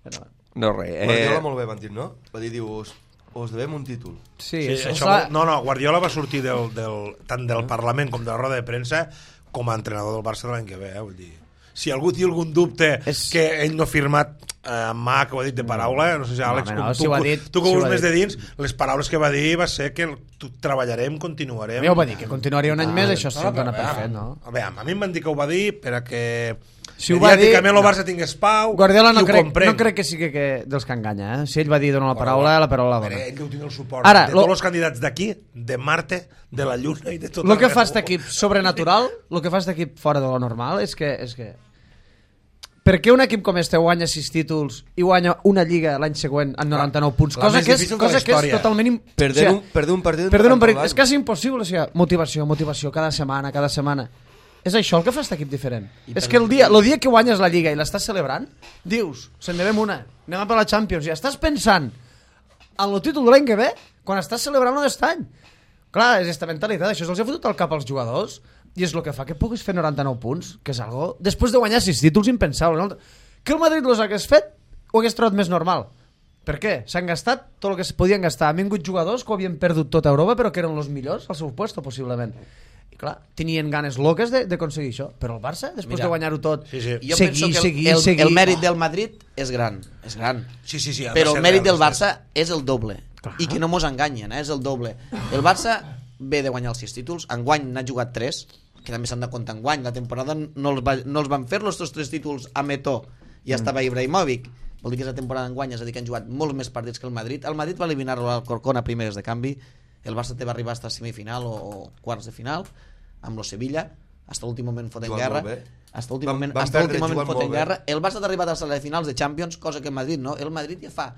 Però, No, res. Guardiola Eh, molt bé van dir, no? Va dir, diu, us, us devem un títol. sí, Sí, això, això, clar, no, no, Guardiola va sortir del, del, tant del Parlament com de la roda de premsa com a entrenador del Barça de l'any que ve, eh? Vull dir, si algú té algun dubte És- que ell no ha firmat eh, amb mà, que ho ha dit de paraula, no sé si Àlex, home, no, com si tu, ho ha dit, tu que si ho ho ha veus més dit. de dins, les paraules que va dir va ser que tu, treballarem, continuarem. ja ho va dir, que continuaria un any més, això No, se'n no, dona però, per a fet, no? A veure, a mi em van dir que ho va dir per a que Si ho va dir- mediàticament el Barça tingués pau, Guardiola no i ho crec, comprem. no crec que sigui que dels que enganya, eh? Si ell va dir donar la paraula, la paraula la Però dona. ell deu tenir el suport Ara, de lo- tots els candidats d'aquí, de Marte, de la Lluna i de tot El que arreu. fa aquest equip sobrenatural, el que fa aquest equip fora de lo normal, és que... És que per què un equip com este guanya sis títols i guanya una lliga l'any següent amb noranta-nou punts? la Cosa, més que és, difícil de la cosa que és història. totalment... im- Perder, o un, perder un partit... Perder un en partit. tot És l'any. quasi impossible, o sigui, motivació, motivació, cada setmana, cada setmana. És això el que fa aquest equip diferent. És que el dia, el dia que guanyes la Lliga i l'estàs celebrant, dius, se'n devem una, anem a per la Champions, i estàs pensant en el títol de l'any que ve, quan estàs celebrant aquest any. Clar, és aquesta mentalitat, això se'ls ha fotut al cap als jugadors, i és el que fa que puguis fer noranta-nou punts, que és algo, després de guanyar sis títols, impensable. No? Que el Madrid los hagués fet, ho hagués trobat més normal. Per què? S'han gastat tot el que es podien gastar. Han vingut jugadors que ho havien perdut tot a Europa, però que eren els millors al seu puesto, possiblement. I clar, tenien ganes loques d'aconseguir això. Però el Barça, després Mira, de guanyar-ho tot, sí, sí. Jo seguir, penso que el, seguir, el, seguir... el mèrit del Madrid és gran, és gran. Sí, sí, sí, ha de Però ser el mèrit real, del sí. Barça és el doble. I que no mos enganyen, eh? És el doble. El Barça ve de guanyar els sis títols, enguany n'ha jugat tres, que també s'han de comptar enguany, la temporada no els, va, no els van fer los tres títols a Metó i mm. estava Ibrahimovic, vol dir que és la temporada enguany, és a dir que han jugat molts més partits que el Madrid. El Madrid va eliminar-lo al Corcón a primeres de canvi, el Barça te va arribar fins a semifinal o, o quarts de final amb lo Sevilla, fins a l'últim moment fotent guerra, fins a l'últim moment, van hasta l'últim moment fotent guerra. El Barça t'ha arribat a les finals de Champions, cosa que el Madrid no. El Madrid ja fa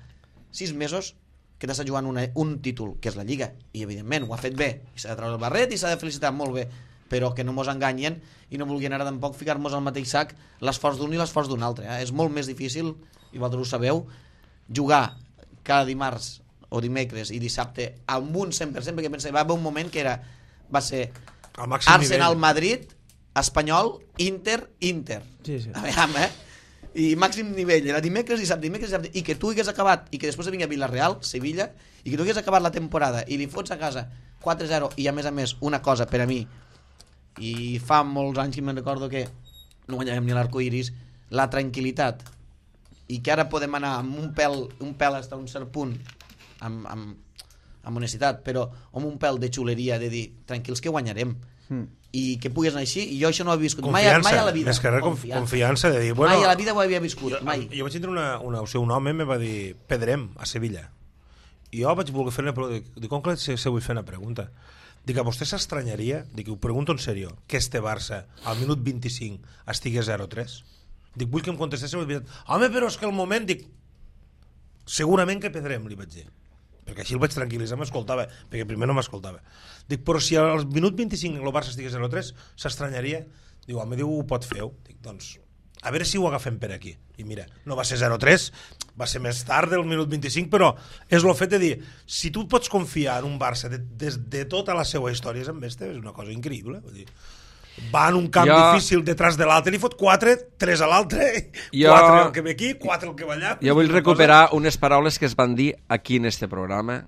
sis mesos que t'està jugant una, un títol, que és la Lliga, i evidentment ho ha fet bé, i s'ha de treure el barret i s'ha de felicitar molt bé, però que no mos enganyen i no vulguin ara tampoc ficar-nos al mateix sac l'esforç d'un i l'esforç d'un altre. Eh? És molt més difícil, i vosaltres ho sabeu, jugar cada dimarts o dimecres i dissabte amb un cent per cent, perquè pensava, va haver un moment que era, va ser Arsenal-Madrid, Espanyol, Inter-Inter. Sí, sí. A veure, eh? I màxim nivell, era dimecres, dissabte, dimecres, dissabte, i que tu hagués acabat, i que després vinga Villarreal, Sevilla, i que tu hagués acabat la temporada i li fots a casa quatre zero, i a més a més una cosa per a mi, i fa molts anys que me'n recordo que no guanyàvem ni l'arcoiris, la tranquil·litat, i que ara podem anar amb un pèl, un pèl fins a un cert punt, amb, amb, amb honestitat, però amb un pèl de xuleria, de dir, tranquils que guanyarem, mm. i que puguis anar així, i jo això no ho he viscut mai, mai a la vida. Més que res, confiança. confiança de dir, bueno, mai a la vida ho havia viscut, jo, mai. Jo vaig tindre una, una, o sigui, un home me va dir Pedrem, a Sevilla, i jo vaig voler fer una pregunta, dic, com que se, se vull fer una pregunta? Dic, a vostè s'estranyaria, dic, ho pregunto en sèrio, que este Barça al minut vint-i-cinc estigui zero tres? Dic, vull que em contestéssim, home, però és que el moment, dic, segurament que Pedrem, li vaig dir, perquè així el vaig tranquil·litzar, m'escoltava, perquè primer no m'escoltava. Dic, però si al minut vint-i-cinc el Barça estigui zero tres, s'estranyaria? Diu, home, diu, ho pot fer. Dic, doncs, a veure si ho agafem per aquí. I mira, no va ser zero tres, va ser més tard del minut vint-i-cinc, però és el fet de dir, si tu pots confiar en un Barça de, de, de tota la seva història, és amb este, és una cosa increïble. Vull dir, va en un camp jo... difícil detrás de l'altre, li fot quatre, tres a l'altre, jo... quatre el que ve aquí, quatre el que va allà. Jo vull recuperar cosa... unes paraules que es van dir aquí en este programa,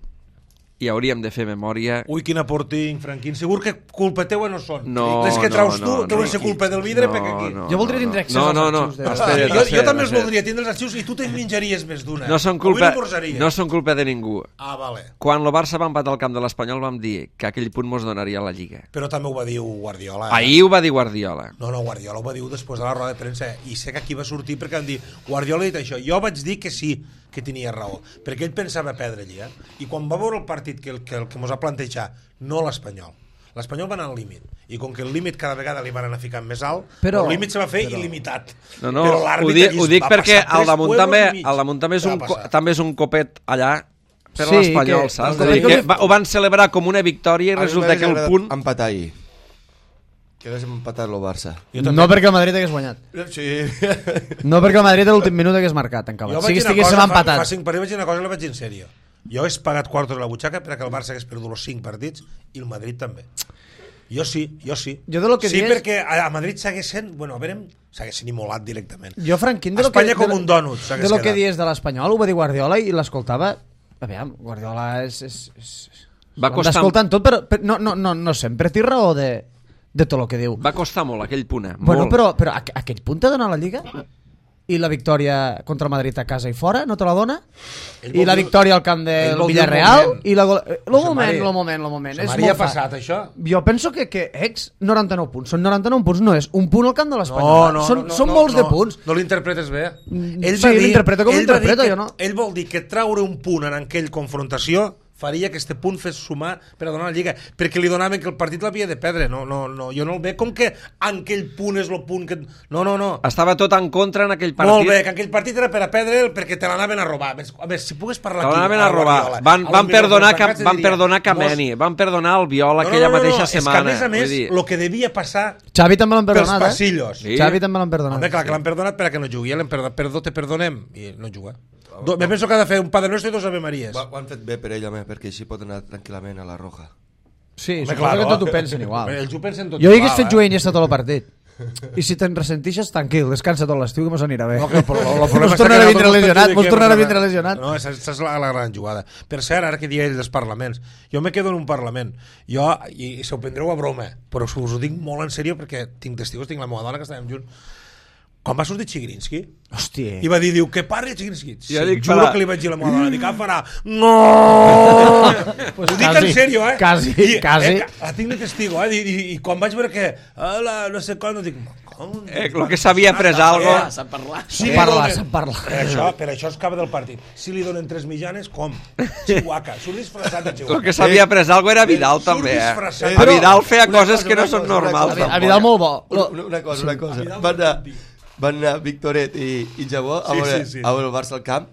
i hauríem de fer memòria. Ui, quin aporting, Franquín. Segur que culpa teua no són. No, les que traus no, tu no, deuen no, ser culpa del vidre, no, perquè aquí. No, jo voldria tindre accés no, als no, no. arxius. De... Espera, jo, jo també els espera. voldria tindre els arxius i tu te'n menjaries més d'una. No són culpa, no, no són culpa de ningú. Ah, vale. Quan el Barça va empatar al camp de l'Espanyol vam dir que aquell punt mos donaria la Lliga. Però també ho va dir Guardiola. Eh? Ahir ho va dir Guardiola. No, no, Guardiola ho va dir després de la roda de premsa, i sé que aquí va sortir perquè van dir, Guardiola ha dit això. Jo vaig dir que sí, que tenia raó, perquè ell pensava perdre allà, eh? I quan va veure el partit que el que, el que mos ha plantejat, no l'Espanyol, l'Espanyol va anar al límit, i com que el límit cada vegada li van anar ficant més alt, però, el límit se va fer però... il·limitat. No, no, ho dic, ho dic perquè al damunt també, al damunt també és, un, també és un copet allà per sí, l'Espanyol, que, saps? Que, que va, ho van celebrar com una victòria i resulta que el punt... empatar ahir. Que hagués empatat el Barça. No perquè el Madrid hagués guanyat. Sí. No perquè el Madrid a l'últim minut hagués marcat, en acabat. Si estiguéssim empatat. Fa, fa cinc partits vaig dir una cosa i la vaig dir en sèrio. Jo he pagat quartos a la butxaca perquè el Barça hagués perdut els cinc partits i el Madrid també. Jo sí, jo sí. Jo de lo que sí, dies... perquè a Madrid s'haguessin, bueno, a veure, s'haguessin immolat directament. Jo, Franquín, de lo Espanya que, com un dònut s'hagués de lo quedat. que dies de l'Espanyol, ho va dir Guardiola i l'escoltava... A veure, Guardiola és... és, és... Va costar... L'escoltant tot, però, però no, no, no, no sempre té raó de... de tot el que diu. Va costar molt aquell punt, eh? Bueno, molt. però, però aqu aquell punt t'ha donat la Lliga? I la victòria contra el Madrid a casa i fora, no te la dona? I la victòria al camp del Villarreal? I la gol... El moment, el moment, el moment. Se m'hauria passat, això? Jo penso que, que ex, noranta-nou punts. Són noranta-nou punts, no és un punt al camp de l'Espanyol. No, no, són, no, són no, molts no, de punts. No l'interpretes bé. Ell sí, l'interpreto com l'interpreto, jo no. Ell vol dir que traure un punt en aquell confrontació faria que este punt fes sumar per a donar la Lliga, perquè li donaven que el partit l'havia de perdre. No, no, no, jo no el veig com que en aquell punt és el punt que... No, no, no. Estava tot en contra en aquell partit. Molt bé, que aquell partit era per a perdre perquè te l'anaven a robar. A veure, si pogués parlar aquí... Te l'anaven a robar. Van, van perdonar, van perdonar Kameni, van perdonar el Viola aquella mateixa setmana. És que, a més a més, el que devia passar... Xavi també l'han perdonat, pels passillos. eh? Xavi també l'han perdonat. Home, clar, que l'han perdonat per a que no jugui. L'hem perdonat, perdó, te perdonem. I no juga. Do, me penso que ha de fer un Padre Nuestro i dos Ave Maries. Ho, ho han fet bé per ell, home, perquè així pot anar tranquil·lament a la Roja. Sí, suposo claro, que tot ho pensen igual. Ells ho pensen tot jo igual. Jo hagués fet eh? jugar Iniesta tot el partit. I si te'n ressentixes, tranquil, descansa tot l'estiu que mos anirà bé. No, que el, el, el mos tornarà a vindre lesionat, mos tornarà a vindre lesionat. No, aquesta és la, la gran jugada. Per cert, ara que digueu dels parlaments, jo me quedo en un parlament. Jo, i, i se ho prendreu a broma, però us ho dic molt en sèrio perquè tinc testigos, tinc la meva dona que estàvem junts. quan va sortir Chigrinsky, Hòstia. i va dir, diu, que parli Chigrinsky. Sí, Jo dic, juro farà- que li vaig dir a la meva dona, dic, ah, farà, no! Pues Ho dic quasi, en sèrio, eh? quasi, I, quasi. Eh, la tinc de testigo, eh? I, i, i quan vaig veure que, hola, no sé com, dic, com? Eh, lo que s'havia pres algo. Ah, sap parlar. Sí, Sap parlar, donen- sap parlar. Per això, per això es acaba del partit. Si li donen tres mitjanes, com? Chihuahua. Surt disfressat de Chihuahua. El que s'havia pres algo era Vidal, Surt també, eh? disfressat. A Vidal feia Una coses cosa, que no una són cosa, una normals. cosa. A Vidal molt bo. Una, una, una cosa, una cosa. Van anar, van anar Victoret i, i Jabó a Sí, veure, sí, sí. a veure el Barça al camp,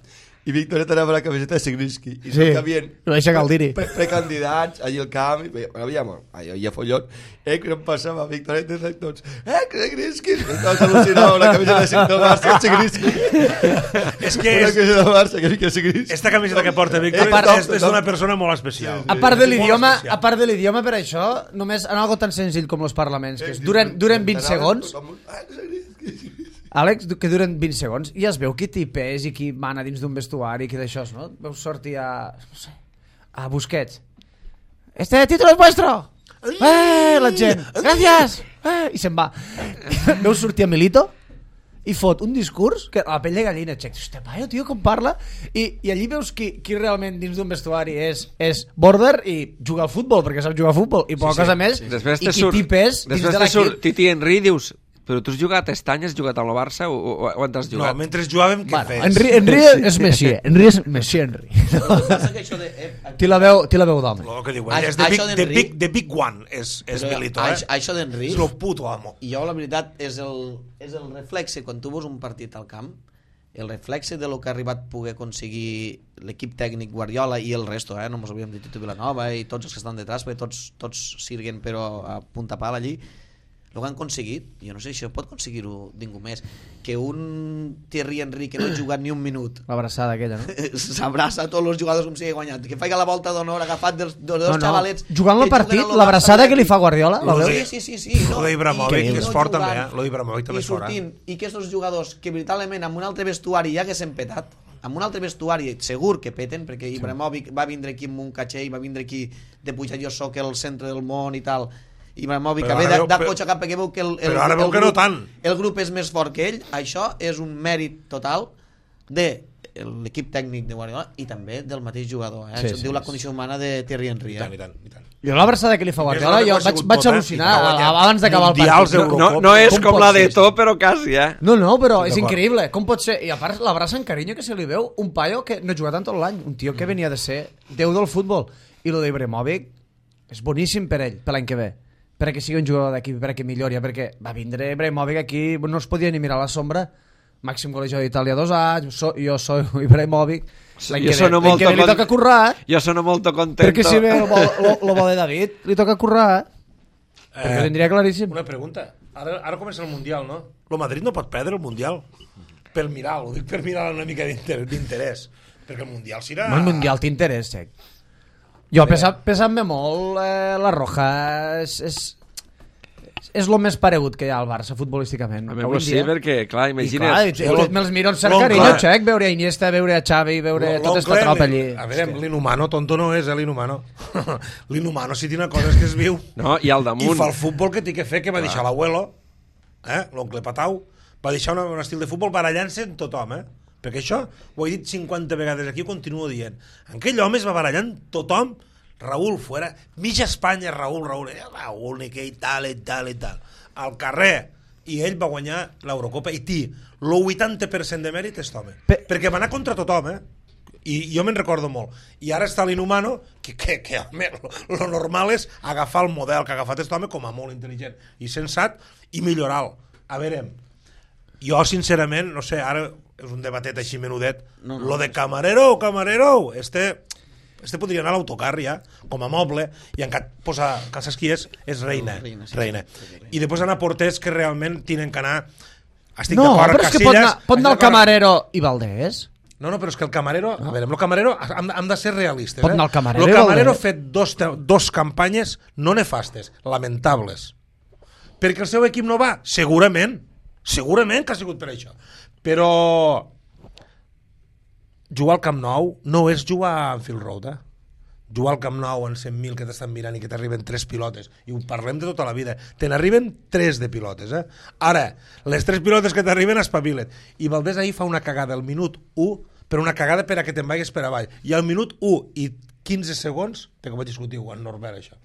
i Victoret anava a la camiseta de Sigrinsky. I Sí, que havien ho deixa Caldiri. pre- precandidats allà al camp, i bueno, havia, hi havia follon, eh, que no em passava Victoret de tots, eh, Sigrinsky, estaves al·lucinant amb la camiseta de Sigrinsky, del Barça, Sigrinsky. És que Una és, camiseta del Barça, que que Sigrinsky. esta camiseta que porta Víctor Eh, top, és, és top. d'una persona molt especial. A part de Molt l'idioma, especial. a part de l'idioma per això, només en algo tan senzill com els parlaments, que és, duren, duren vint segons, Àlex, que duren vint segons, i es veu qui t'hi pes i qui mana dins d'un vestuari, qui d'això, no? Veus sortir a... no sé, a Busquets. Este título es vuestro! Eh, la gent, gràcies! Eh, I se'n va. Veus sortir a Milito i fot un discurs que a la pell de gallina, xec, hòstia, paio, tio, com parla, i, i allí veus qui, qui realment dins d'un vestuari és, és border i juga al futbol, perquè sap jugar al futbol, i poca Sí, sí, cosa més, Després i te qui surt, t'hi pes dins després de te surt l'equip. Titi Henry i dius, però tu has jugat a Estany, has jugat amb el Barça o, o, o on t'has No, jugat? mentre jugàvem, què Bueno, fes? Henry, Henry és Messi, Henry és Messi, Henry. Passa que això de... Eh, Té la veu, té la veu d'home. Lo que diuen, Això- és the big, això the d'Henry- big, the big one, és, és però Milito, eh? això, això d'Henry, És el puto amo. i jo la veritat és el, és el reflexe, quan tu veus un partit al camp, el reflexe de lo que ha arribat a poder aconseguir l'equip tècnic Guardiola i el resto, eh? No mos havíem dit Tito Vilanova i tots els que estan detrás, perquè tots, tots sirguen però a punta pala allí, el que han aconseguit, jo no sé si això pot aconseguir-ho ningú més, que un Thierry Henry que no ha jugat ni un minut L'abraçada aquella, no? s'abraça a tots els jugadors com si hagués guanyat, que faci la volta d'honor agafat dels, dels dos No, no. xavalets Jugant el que partit, juguen a lo l'abraçada Barça, que li fa Guardiola, la Lo veus? de- Sí, sí, sí, sí. Lo d'Ibrahimovic, i- que és no fort jugant, també, eh? Lo d'Ibrahimovic també i és fort, eh? sortint, i aquests jugadors que veritablement amb un altre vestuari ja haguessin petat, amb un altre vestuari segur que peten, perquè Ibrahimovic va vindre aquí amb un caché i va vindre aquí de pujar jo soc el centre del món i tal, Ibrahimovic Però ve ara de, veu- de però- cotxe cap perquè veu que el, el, però ara el, veu que grup, no tant. el grup és més fort que ell. Això és un mèrit total de l'equip tècnic de Guardiola i també del mateix jugador, eh? Sí, Això sí, diu la sí. condició humana de Thierry Henry, I eh? tant, i tant, i tant. Jo l'abraçada que li fa Guardiola, Més jo grande que ha vaig, sigut vaig tot, eh? al·lucinar I que ha guanyat abans d'acabar el mundials, partit. Euro- No, no és Com com pot la ser de això? To, però quasi, eh? No, no, però és D'acord. increïble. Com pot ser? I a part l'abraça en carinyo que se li veu un paio que no ha jugat en tot l'any. Un tio que venia de ser déu del futbol. I lo d'Ibrahimovic és boníssim per ell, per l'any que ve. Perquè sigui un jugador d'equip, perquè millori, perquè va vindre Ibrahimovic aquí, no es podia ni mirar a la sombra. Màxim golejador d'Itàlia dos anys, so, jo soy Ibrahimovic. L'any Jo que, ve, sono l'any que ve li molto toca con- currar, eh? Jo sono molto contento. Perquè si ve el bo, lo, lo bo de David, li toca currar, eh? Perquè ho tindria claríssim. Una pregunta. Ara, ara comença el Mundial, no? El Madrid no pot perdre el Mundial. Per mirar, ho dic per mirar una mica d'inter- d'interès. Perquè el Mundial serà... El Mundial t'interès, sec. Jo, pesant, pesant-me molt, eh, la Roja és, és, és el més paregut que hi ha al Barça futbolísticament. A avui mi en sí, dia. perquè, clar, I imagina't... clar, i, Lo- i, me'ls miro amb cert l'oncle- carinyo, xec, veure a Iniesta, veure a Xavi, veure L'oncle, tota esta tropa allí. A veure, l'inhumano, tonto no és, eh, l'inhumano. L'inhumano, si té una cosa és que es viu. No, i al I damunt... fa el futbol que té que fer, que va deixar l'abuelo, eh, l'oncle Patau, va deixar una, un estil de futbol barallant-se amb tothom, eh? Perquè això ho he dit cinquanta vegades aquí, ho continuo dient. Aquell home es va barallant tothom, Raúl fuera, mitja Espanya, Raúl, Raúl, eh, Raúl, ni que i tal, i tal, i tal. Al carrer, i ell va guanyar l'Eurocopa, i té el vuitanta per cent de mèrit aquest home. Pe- Perquè va anar contra tothom, eh? I jo me'n recordo molt. I ara està l'inhumano, que, que, que home, lo, lo normal és agafar el model que ha agafat aquest home com a molt intel·ligent i sensat i millorar-lo. A veure, jo sincerament, no sé, ara és un debatet així menudet, No, no, lo de camarero, camarero, este, este podria anar a l'autocar ja, com a moble, i encara posa, que saps qui és? És reina, Reina, sí, reina. sí. I després anar porters que realment tenen que anar... Estic No, d'acord, però és que pot Casillas, anar, pot anar el estic d'acord. Camarero i Valdés. No, no, però és que el camarero... A veure, amb el camarero hem, hem de ser realistes. Pot eh? anar el camarero El i camarero ha el- fet dos, te- dos campanyes no nefastes, lamentables. Perquè el seu equip no va? Segurament. Segurament que ha sigut per això. Però jugar al Camp Nou no és jugar a Anfield Road, eh? jugar al Camp Nou en cent mil que t'estan mirant i que t'arriben tres pilotes, i ho parlem de tota la vida, te n'arriben tres de pilotes, eh? Ara, les tres pilotes que t'arriben espavilen, i Valdés ahir fa una cagada al minut u, per una cagada per a que te'n vagis per avall, i al minut u i quinze segons, que vaig discutir amb Norbert això,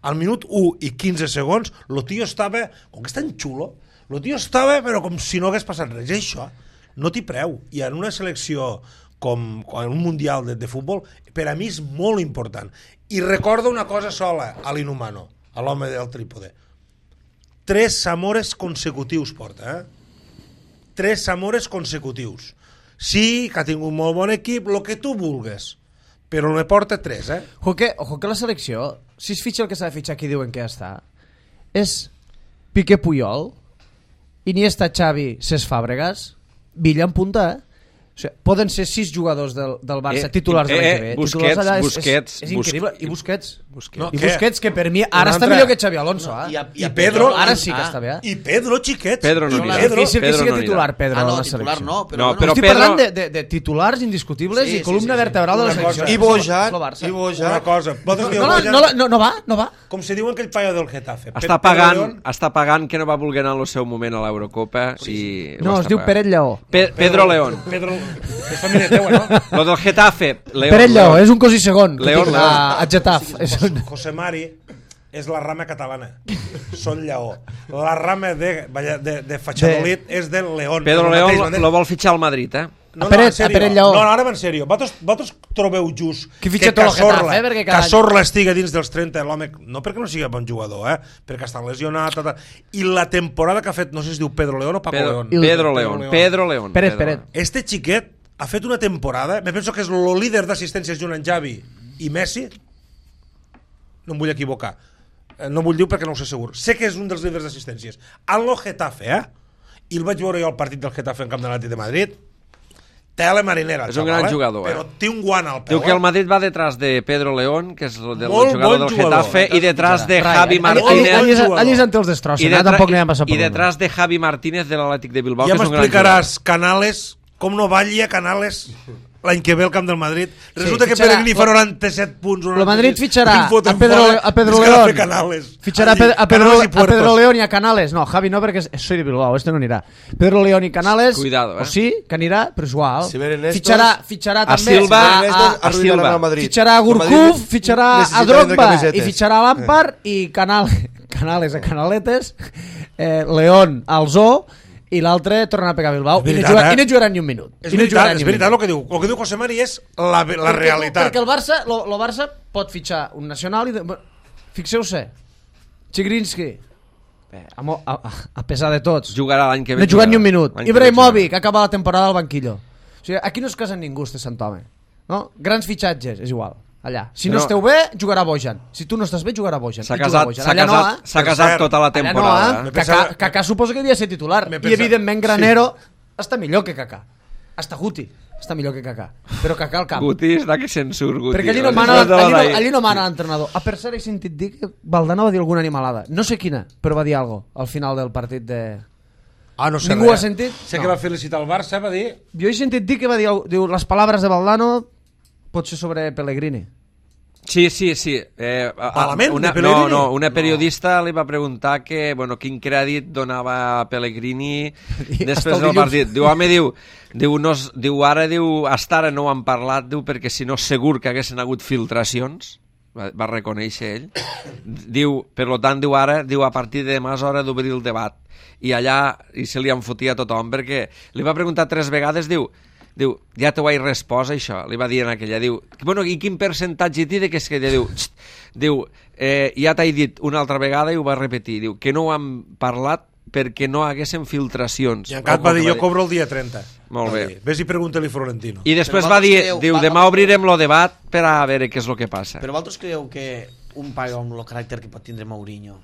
al minut u i quinze segons, el tio estava, com que és tan xulo, el tio estava però com si no hagués passat res, i això no t'hi preu, i en una selecció com en un mundial de, de futbol, per a mi és molt important. I recorda una cosa sola a l'Inhumano, a l'home del trípode. Tres Zamores consecutius porta, eh? Tres Zamores consecutius. Sí, que ha tingut molt bon equip, el que tu vulgues, però ne porta tres, eh? Ojo que, ojo que la selecció, si es fitxa el que s'ha de fitxar, aquí diuen que ja està, és Piqué Puyol, Iniesta Xavi, Cesc Fàbregas, Villa en punta, eh? O sigui, poden ser sis jugadors del, del Barça Eh, titulars de l'any eh, que ve. Busquets, Titulars allà és, Busquets, és, és increïble. I Busquets. Busquets. No, I què? Busquets, que per mi ara Una està altra. millor que Xavi Alonso. Eh? I, a, I Pedro, Ara sí que està bé. Eh? I Pedro, xiquets. Pedro no És anirà. Pedro, difícil que Pedro sigui no anirà. titular, Pedro, Ah, no, en la titular selecció. no, però, No, bueno, però Estic Pedro- parlant de, de, de titulars indiscutibles Sí, i sí, columna sí, sí. vertebral de la Una selecció. cosa. I Bojan, Lo Barça. i Una Bojan. cosa, vosaltres dieu No, la- Bojan, no, la- no, no va, no va. com se diu aquell paio del Getafe. Està Pedro pagant, León, està pagant que no va voler anar al seu moment a l'Eurocopa i No, ho es està diu pagant. Peret Lleó. Pe Pedro León. Pedro, és família teua, no? Lo del Getafe. León, Peret Lleó, León. és un cosí segon. León, que tinc León. A, a Getafe. És un... José Mari és la rama catalana. Són Lleó. La rama de, de, de Fachadolid és del León. Pedro El León mateix, lo, no? lo vol fitxar al Madrid, eh? No, A Peret- no, en sèrio. a Peret Lleó. No, no, ara va en sèrio. Vosaltres, vosaltres trobeu just Qui fitxa que tot el Cazorla, Getafe, eh, perquè cada any- Cazorla estigui dins dels trenta, l'home, no perquè no sigui bon jugador, eh? Perquè està lesionat, tal, tal. I la temporada que ha fet, no sé si es diu Pedro León o Paco Pedro, León. Pedro León. Pedro León. Peret, Pedro Peret. León. Este xiquet ha fet una temporada, me penso que és el líder d'assistències junt amb Xavi i Messi, no em vull equivocar, Eh, no vull dir perquè no ho sé segur, sé que és un dels líders d'assistències, al Getafe, eh? I el vaig veure jo al partit del Getafe en camp de l'Atlètic de Madrid, tela marinera, És un xaval, gran jugador, eh? però té un guant al peu. Diu que el Madrid va detrás de Pedro León, que és el del Molt jugador bon del jugador. Getafe, i detrás de Rai, Javi allí- Martínez. allí- allí- jugador. Allí és on té els I, destrossen, eh? detra Tampoc n'hi ha passat i per detrás de Javi Martínez de l'Atlètic de Bilbao, Ja que és un gran m'explicaràs, Canales, com no ballia Canales l'any que ve al camp del Madrid. Resulta Sí, que fitxarà- Pellegrini fa noranta-set punts. El Madrid fitxarà el foten a Pedro, fora, a Pedro és que ha de León. fer Canales. Fitxarà a, Allí, Pedro, a, Pedro, Canales i a Pedro Puertos. León i a Canales. No, Javi no, perquè és- soy de Bilbao, este no anirà. Pedro León i Canales, Cuidado, eh? o sí, que anirà, però és igual. Si venen estos- fitxarà, fitxarà A també Silva, a, Estos a, a arruinaran Silva. al Madrid. fitxarà a El Gurkuf, Madrid fitxarà a necessita Drogba vendre camisetes. i fitxarà a Lampard i Canales, Canales a Canaletes, eh, León al Zoo i l'altre tornarà a pegar a Bilbao. És I no, veritat, jugarà, eh? I no jugarà ni un minut. És I no veritat, jugarà és ni un veritat minut. el que diu. El que diu José Mari és la, la Perquè- realitat. Perquè el Barça, lo, lo Barça pot fitxar un nacional i... De, bueno, fixeu-se, Chigrinsky, eh, a, mo- a, a pesar de tots, Jugarà l'any que ve. no ha jugat ni un jugarà. minut. L'any que ve Ibrahimovic acaba la temporada al banquillo. O sigui, aquí no es casa ningú, este Sant Home. No? Grans fitxatges, és igual. Allà. Si no, No. esteu bé, jugarà Bojan. Si tu no estàs bé, jugarà Bojan. S'ha I juga casat, Bojan. s'ha Allà casat, no, eh? s'ha Per casat cert, tota la Allà no, temporada. eh? eh? Me Kaká, pensava- Kaká suposo que devia ser titular. Me I pensava- evidentment Granero està millor que Kaká. Hasta Guti està millor que Kaká. Però Kaká al camp. Guti està que se'n surt, Guti. Perquè allí no mana, allí no, allí no mana l'entrenador. A per cert, he sentit dir que Valdano va dir alguna animalada. No sé quina, però va dir algo al final del partit de... Ah, no sé Ningú res. ha sentit? Sé No. que va felicitar el Barça, va dir... Jo he sentit dir que va dir, diu, les paraules de Valdano pot ser sobre Pellegrini. Sí, sí, sí. Eh, a- a- Malament, una, de Pellegrini? no, no, una periodista li va preguntar que, bueno, quin crèdit donava a Pellegrini Hasta després el del dilluns. partit. Diu, home, diu, diu, no, es- diu, ara, diu, hasta ara no ho han parlat, diu, perquè si no segur que haguessin hagut filtracions, va, va reconèixer ell. Diu, per lo tant, diu, ara, diu, a partir de demà és hora d'obrir el debat. I allà, i se li enfotia a tothom, perquè li va preguntar tres vegades, diu, diu, ja t'ho he respost, això, li va dir en aquella, diu, bueno, i quin percentatge té de que és que ella diu, xt, diu, eh, ja t'he dit una altra vegada i ho va repetir, diu, que no ho han parlat perquè no haguessin filtracions. I encara Ojo, va dir, que jo cobro el dia trenta. Molt Va bé. dir. Ves i pregunta-li Florentino. I després Però va dir, vosaltres diu, creieu- demà va- obrirem el debat per a veure què és el que passa. Però vosaltres creieu que un paio amb el caràcter que pot tindre Mourinho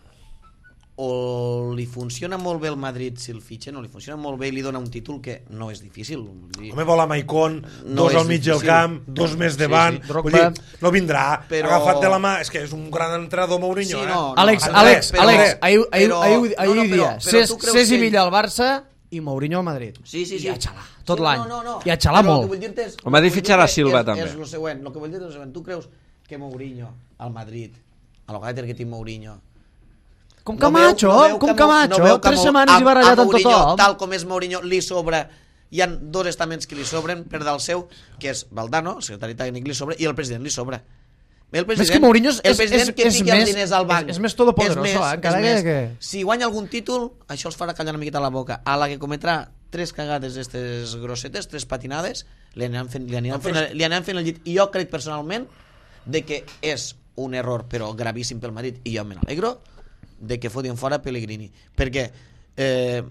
o li funciona molt bé el Madrid si el fitxen, o li funciona molt bé i li dona un títol que no és difícil. Vull dir, Home, vol a Maicon, No dos és al mig del difícil. camp, dos més davant. sí. Vull Drogba. dir, no vindrà, Però- agafat de la mà. És que és un gran entrenador Mourinho, Sí, eh? no, Àlex, André, Àlex, però- Àlex, ahir, ahir, però- ahir, ahir no, no, dia, però- però Cés, tu creus Cés i que- Milla al Barça i Mourinho al Madrid. Sí, sí, sí. I a xalar, tot Sí, l'any. no, no, no. I a xalar Però molt. el que vull dir-te és- El Madrid el que vull fitxarà dir-te Silva, és- també. És el següent, el que vull dir és el següent. Tu creus que Mourinho al Madrid, a lo que té Mourinho, com Camacho, no veu, no com Camacho, no tres Mo setmanes i barallat amb tothom. Tal com és Mourinho, li sobra, hi ha dos estaments que li sobren per dalt seu, que és Valdano, el secretari tècnic, li sobra, i el president li sobra. El president, és que Mourinho és, el president és, que és, fica més, els diners al banc. És, és més todopoderoso, és més, eh? Encara és més. que... Si guanya algun títol, això els farà callar una miqueta la boca. A la que cometrà tres cagades d'estes grossetes, tres patinades, li aniran fent, li aniran fent, li aniran fent el llit. I jo crec personalment de que és un error, però gravíssim pel Madrid, i jo me n'alegro, de que fotien fora Pellegrini, perquè eh,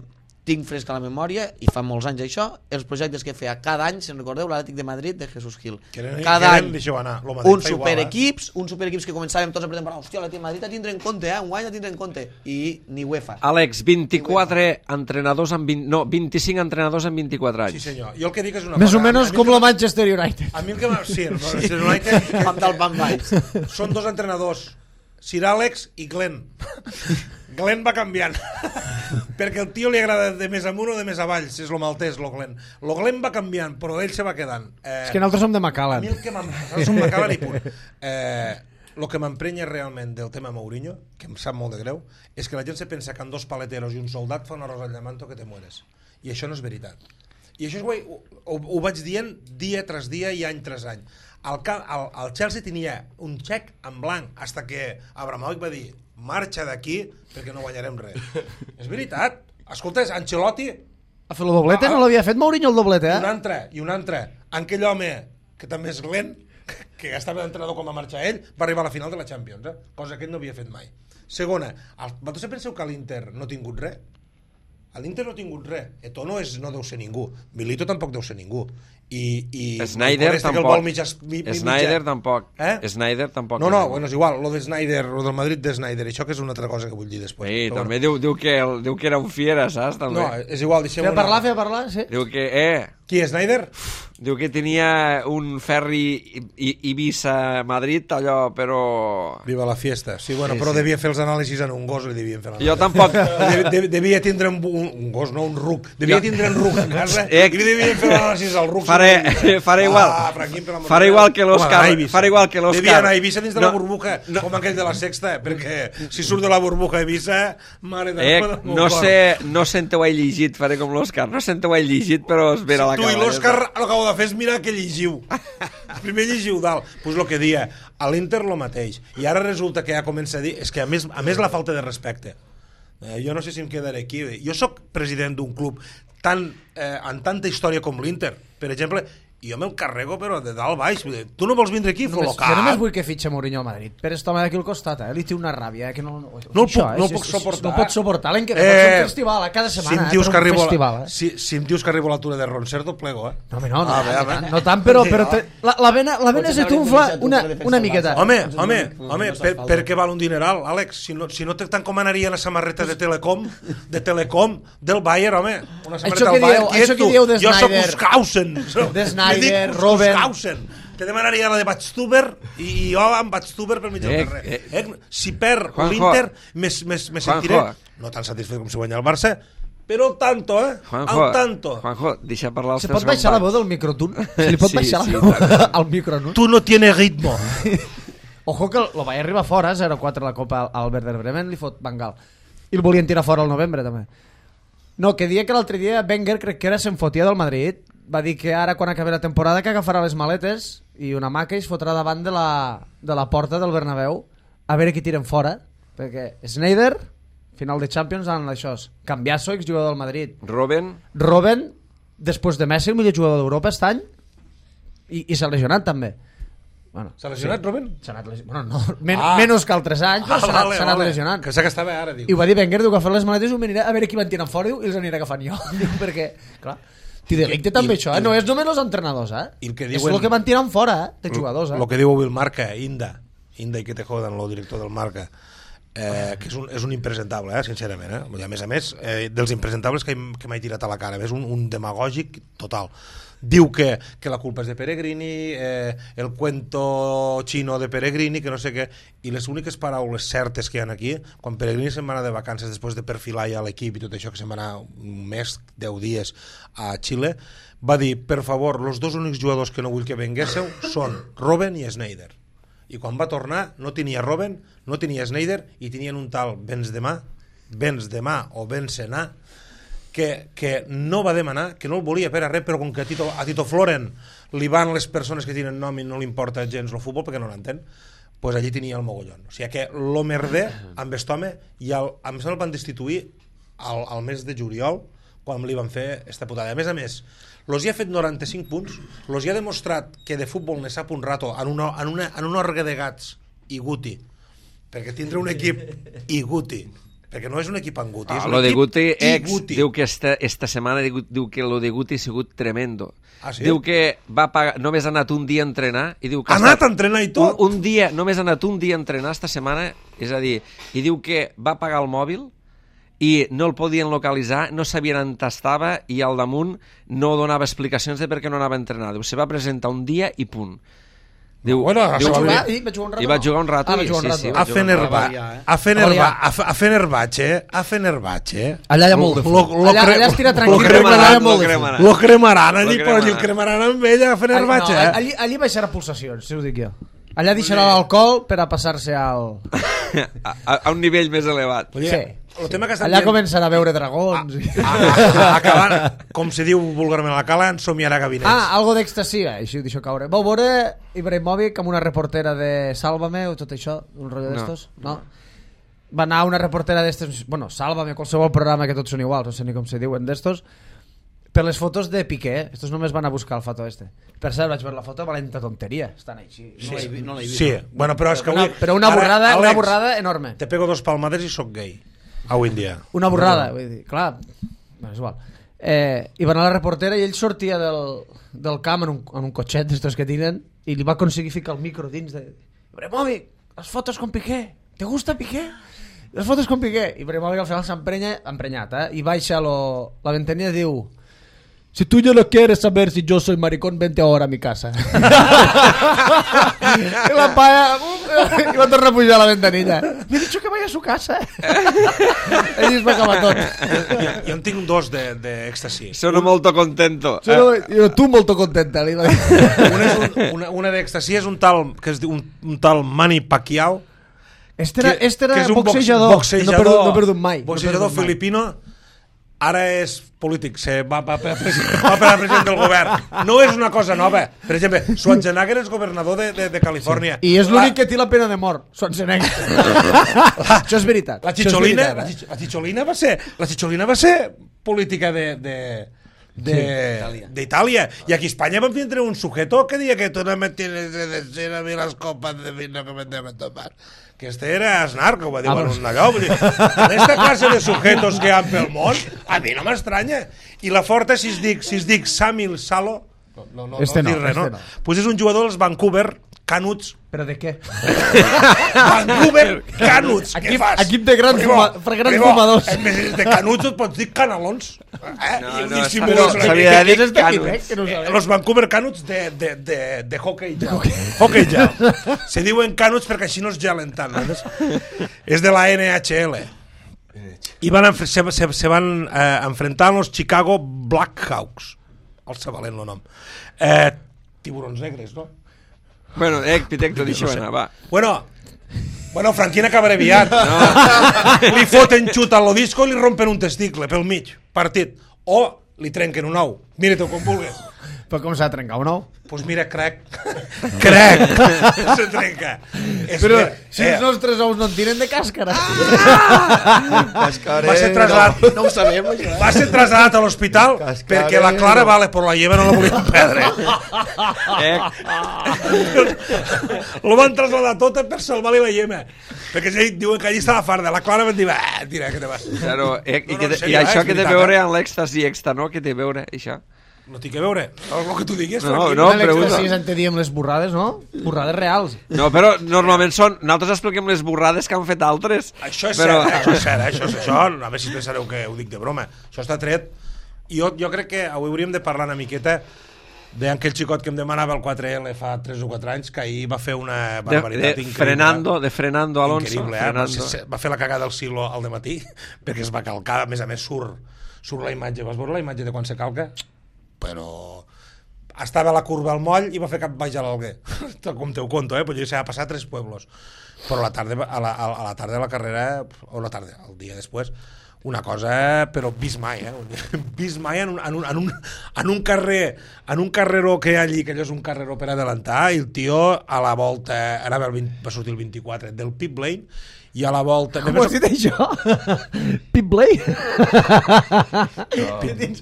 tinc fresca la memòria i fa molts anys això, els projectes que feia cada any, se'n recordeu, l'Atlètic de Madrid de Jesús Gil, eren, cada eren, any anar, uns superequips eh? uns superequips que començàvem tots a pretendir, hòstia, l'Atlètic de Madrid a tindre en compte, eh? un guany a tindre en compte, i ni UEFA. Àlex, vint-i-quatre entrenadors amb vint, no, vint-i-cinc entrenadors en vint-i-quatre anys. Sí senyor, jo el que dic és una més cosa, o menys com el Manchester United. A mi el que m'ha... Sí, el Manchester United amb del Van Baix. Són dos entrenadors, Sir Alex i Glenn. Glenn va canviant perquè el tio li agrada de més amunt o de més avall, si és lo maltès, lo Glenn. Lo Glenn va canviant, però ell se va quedant. Eh, és que nosaltres som de Macallan. A mi el que nosaltres som Macallan i punt. Eh, el que m'emprenya realment del tema Mourinho, que em sap molt de greu, és que la gent se pensa que amb dos paleteros i un soldat fa una rosa al llamanto que te mueres. I això no és veritat. I això ho, ho, ho vaig dient dia tras dia i any tras any. El, el, el Chelsea tenia un xec en blanc hasta que Abramovich va dir marxa d'aquí perquè no guanyarem res. És veritat. Escolta, Ancelotti... Ha fet el doblete? No l'havia fet Mourinho el doblete, eh? I un altre, i un altre. Aquell home, que també és Glenn, que estava d'entrenador com va marxar ell, va arribar a la final de la Champions, eh? Cosa que ell no havia fet mai. Segona, vosaltres penseu que l'Inter no ha tingut res? L'Inter no ha tingut res. Eto'o no, és, no deu ser ningú. Milito tampoc deu ser ningú. I, i Snyder tampoc. Mitja, mi, mi, Snyder mitja. tampoc. Eh? Snyder tampoc. No, no, bueno, és igual. Lo de Snyder, lo del Madrid de Snyder, això que és una altra cosa que vull dir després. Sí, però també bueno. diu, diu, que, diu que era un fiera, saps? També. No, és igual, deixem Fer parlar, fer parlar, sí. Diu que, eh... Qui, Snyder? Diu que tenia un ferri Ibiza-Madrid, allò, però... Viva la fiesta. Sí, bueno, sí, però sí. devia fer els anàlisis en un gos, li devien fer l'anàlisi. Jo tampoc... De, de, devia tindre un, un, un gos, no un ruc. Devia jo... tindre un ruc a casa eh, i li devien fer l'anàlisis al ruc. Faré, faré igual. Ah, Franquín, per faré igual que l'Òscar. Faré igual que l'Òscar. Devia anar a Ibiza dins de no, la burbuja, no. Com aquell de la Sexta, perquè si surt de la burbuja a Ibiza, mare de... Eh, no sé, no sé on ho he llegit, faré com l'Òscar. No sé on ho he llegit, però es vera la tu caballa. Tu i l'Òscar el que heu de fer és mirar que llegiu. Primer llegiu dalt. Doncs pues el que dia, a l'Inter lo mateix. I ara resulta que ja comença a dir... És que a més, a més la falta de respecte. Eh, jo no sé si em quedaré aquí. Jo sóc president d'un club tan, eh, amb tanta història com l'Inter. Per exemple, jo me'l carrego però de dalt baix. Tu no vols vindre aquí? Només, jo només vull que fitxe Mourinho a Madrid. Per este home d'aquí al costat, eh? Li té una ràbia. Eh? Que no, no, no el puc, això, no eh? el puc suportar. No pot suportar l'any que ve. Eh, Pot ser un festival, eh? Cada setmana. Si em eh? dius, que, arribo, festival, eh? si, si em dius que arribo a l'altura de Roncerdo, plego, eh? No, home, no, no, ah, no, bé, no, no tant, però, però te, la, la vena, la vena se t'unfla una, una miqueta. Home, home, home, per, per què val un dineral, Àlex? Si no, si no t'encomanaria la samarreta de Telecom, de Telecom, del Bayern, home. Una samarreta del Bayern. Això que dieu de Snyder. Jo soc Uskausen. De Snyder, Robben. Te demanaria la de Batstuber i jo amb Batstuber per mig del eh, carrer. Eh, eh, si perd l'Inter, me sentiré no tan satisfet com si guanya el Barça, però al tanto, eh? Juanjo, al tanto. Juanjo, deixa parlar els Se teus pot baixar la veu del microtun? Se li pot sí, baixar sí, la veu al micronun? Tu no tienes ritmo. Ojo que lo va arribar fora, zero quatre la Copa al Werder Bremen, li fot Bangal. I el volien tirar fora al novembre, també. No, que dia que l'altre dia Wenger, crec que era, se'n fotia del Madrid, va dir que ara quan acabi la temporada que agafarà les maletes i una maca i es fotrà davant de la, de la porta del Bernabéu a veure qui tiren fora, perquè Snyder final de Champions en això, Cambiasso, exjugador del Madrid, Robben Robben, després de Messi el millor jugador d'Europa aquest any i, i s'ha lesionat també. Bueno, s'ha lesionat, sí. Robben? S'ha anat lesionant. Bueno, no, men ah. menys que altres anys, però ah, s'ha anat, vale, anat vale. lesionant. Que sé que estava ara, diu. I ho va dir Wenger, diu que fa les maletes i ho anirà a veure qui van tirant fora diu, i els anirà agafant jo. Diu, perquè, clar, t'hi delicte també això, eh? No és només els entrenadors, eh? El que diuen, és el que van tirant fora, eh? De jugadors, eh? El que diu avui el Marca, Inda, Inda i que te jodan, el director del Marca, eh, que és un, és un impresentable, eh? Sincerament, eh? I a més a més, eh, dels impresentables que, que m'he tirat a la cara, és un, un demagògic total. Diu que, que la culpa és de Pellegrini, eh, el cuento chino de Pellegrini, que no sé què, i les úniques paraules certes que hi ha aquí, quan Pellegrini se'n va anar de vacances després de perfilar ja l'equip i tot això, que se'n va anar un mes, deu dies a Xile, va dir, per favor, els dos únics jugadors que no vull que venguésseu són Robben i Snyder. I quan va tornar no tenia Robben, no tenia Sneijder i tenien un tal Benzema, Benzema o Benzema, que, que no va demanar, que no el volia per a res, però com que a Tito, a Tito Floren li van les persones que tenen nom i no li importa gens el futbol perquè no l'entén, pues allí tenia el mogollon. O sigui que lo merder amb aquest home i el, em sembla el van destituir al, al mes de juliol quan li van fer esta putada. A més a més, los hi ha fet noranta-cinc punts, los hi ha demostrat que de futbol ne sap un rato en, una, en, una, en un orgue de gats i Guti, perquè tindre un equip i Guti, perquè no és un equip en Guti, és Ah, un lo de equip Guti i ex Guti. diu que esta, esta setmana diu, diu que lo de Guti ha sigut tremendo. Ah, sí? Diu que va pagar, només ha anat un dia a entrenar i diu que Ha anat a entrenar i tot? Un, un dia, només ha anat un dia a entrenar esta setmana, és a dir, i diu que va pagar el mòbil i no el podien localitzar, no sabien on estava i al damunt no donava explicacions de per què no anava a entrenar. Diu, se va presentar un dia i punt. Diu, Bueno, diu, va jugar, i va jugar un rato. I va jugar un rato. Ah, va i- jugar un sí, rato. sí, A va jugar un Fenerba, variar, eh? a Fenerba, variar. a, Fe- a Fenerbahce, a Fenerbahce. Allà hi ha molt de Lo- fum. lo Allà, cre- allà es tira lo tranquil, cremaran, allà hi ha lo molt de fum. cremaran. Lo cremaran allí, Lo però allí el cremaran. cremaran amb ella a Fenerbahce, no, eh? allí, allí baixarà pulsacions, si ho dic jo. Allà deixarà l'alcohol per a passar-se al... a, a, a un nivell més elevat. Vull dir, Sí. el tema que estan Allà dient- començarà a veure dragons. i- a, a, acabant, com se diu vulgarment a la cala, ensomiarà gabinets. Ah, algo d'èxtasi, així ho deixo caure. Vau veure Ibrahimovic amb una reportera de Sálvame o tot això, un rotllo No. d'estos? No. Va anar una reportera d'estos, bueno, Sálvame, qualsevol programa que tots són iguals, no sé ni com se diuen d'estos, per les fotos de Piqué. Estos només van a buscar el foto este. Per cert, vaig veure la foto, valenta tonteria. Estan així. No l'he vi- no l'he vist. Sí, bueno, però és que Una, avui... però una Ara, borrada, una Àlex, borrada enorme. Te pego dos palmades i sóc gay. Avui en dia. Una borrada, vull dir, clar, bueno, és igual. Eh, I va anar la reportera i ell sortia del, del camp en un, en un cotxet d'estos que tenen i li va aconseguir ficar el micro dins de... Ibrahimovic, les fotos con Piqué, ¿te gusta Piqué? Les fotos con Piqué. I Ibrahimovic al final s'emprenya, emprenyat, eh? I baixa lo, la ventanilla i diu: si tú ya no quieres saber si yo soy maricón, vente ahora a mi casa. I la palla i va tornar a pujar a la ventanilla. Me he dicho que vaya a su casa. Ell es va acabar tot. Jo en tinc dos d'èxtasi. Sono molto contento. Solo, yo, tú molto contenta. Li va dir. Una, és un, una, una d'èxtasi és un tal, que es diu un, un tal Manny Pacquiao, Este era, que, este era que és un box- boxejador. boxejador, No he perdut, no he perdut mai. boxejador no he perdut mai. filipino, ara és polític, se va, va, per, va per a president del govern. No és una cosa nova. Per exemple, Schwarzenegger és governador de, de, de Califòrnia. I és l'únic que té la pena de mort, Schwarzenegger. Això és veritat. La Això és Chicholina, veritat, la, eh? Chich- la Chicholina va ser, la Chicholina va ser política de, de, de, d'Itàlia. I aquí a Espanya vam tindre un sujeto que deia que tu no me tienes de decir a mi las copas de vino que me deben tomar. Que este era Aznar, que ho va dir Ah, en pues- un allò. Vull dir, en esta classe de sujetos que hi ha pel món, a mi no m'estranya. I la forta, si es dic, si es dic Samil Salo, no, no, no, Este no, no, dir res, este no? no. Pues és un jugador dels Vancouver Canuts. Però de què? Vancouver Canuts. Què Equip- fas? equip de grans Primo, fuma- per grans primo, fumadors. En vez de Canuts et pots dir Canalons. Eh? No, I ho no, dissimules però una mica. s'havia de dir Què és este Canuts. equip, eh? Que no ho Eh, sabem. Los Vancouver Canuts de, de, de, de hockey gel. Hockey gel. Se diuen Canuts perquè així no es gelen tant. No? És de la N H L. I van, enf- se, se, se van eh, enfrentar amb els Chicago Blackhawks. El sabalent el nom. Eh, tiburons negres, no? Bueno, eh, Pitecto, deixa-ho No sé. anar, va. Bueno, bueno, Franquina acabaré aviat. No. Li foten xut a lo disco i li rompen un testicle pel mig, partit. O li trenquen un ou. Mira-t'ho com vulguis. Però com s'ha de trencar un ou? Doncs pues mira, crec. Crec. Se trenca. És Però que, si els nostres ous no en tiren de càscara. va ser trasladat, No ho sabem, això. va ser trasladat a l'hospital Cascarero. perquè la Clara vale, però la lleva no la volien perdre. Eh, Lo van trasladar tota per salvar-li la llema. Perquè ell diuen que allí estava farda. La Clara van dir, ah, tira, que te vas. claro, eh, i, No, no, que, en te- sèrio, i això eh, és que té a veritat, veure eh? amb l'èxtasi extra, no? Que té a veure, això. No té que veure. El que tu diguis, No, Franquí. no. L'èxtasi pregunta. és en te diem les borrades, no? Borrades reals. No, però normalment són... Nosaltres expliquem les borrades que han fet altres. Això és però... cert, eh? això és cert, eh? això, és, això, a veure si pensareu que ho dic de broma. Això està tret. I jo, jo crec que avui hauríem de parlar una miqueta d'aquell xicot que em demanava el quatre L fa tres o quatre anys, que ahir va fer una De, barbaritat de increïble. Frenando, de Frenando Alonso. Increïble, eh? Frenando. Se- se- Va fer la cagada del silo al dematí, perquè es va calcar, a més a més surt, surt la imatge. Vas veure la imatge de quan se calca? Però estava a la curva al moll i va fer cap baix a l'Alguer. Com te ho conto, eh? Però jo s'ha passat tres pueblos. Però a la tarda, a la, a la tarda de la carrera, o la tarda, el dia després, una cosa, però vist mai, eh? Vist mai en un, en un, en un, en un carrer, en un carreró que hi ha allí, que allò és un carreró per adelantar, i el tio a la volta, ara va, el vint, va sortir el vint-i-quatre del pit lane, i a la volta... Com ho has dit això? Pit Blay?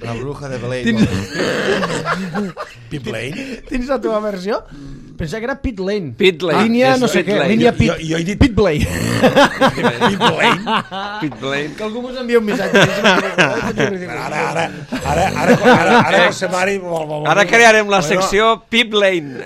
La bruja de Blade. Tins... Pit lane? Tens la teva versió? Pensava que era Pit Lane. Pit Lane. Línia És no sé Pit què. Lane. Línia Pit... Jo- jo he dit- Pit Blay. Pit lane? Pit Lane. Que algú mos envia un missatge. Ara, ara, ara, ara, ara, ara, ara José Mari... Vol, vol, vol, Ara crearem la Bueno, secció Pit Lane.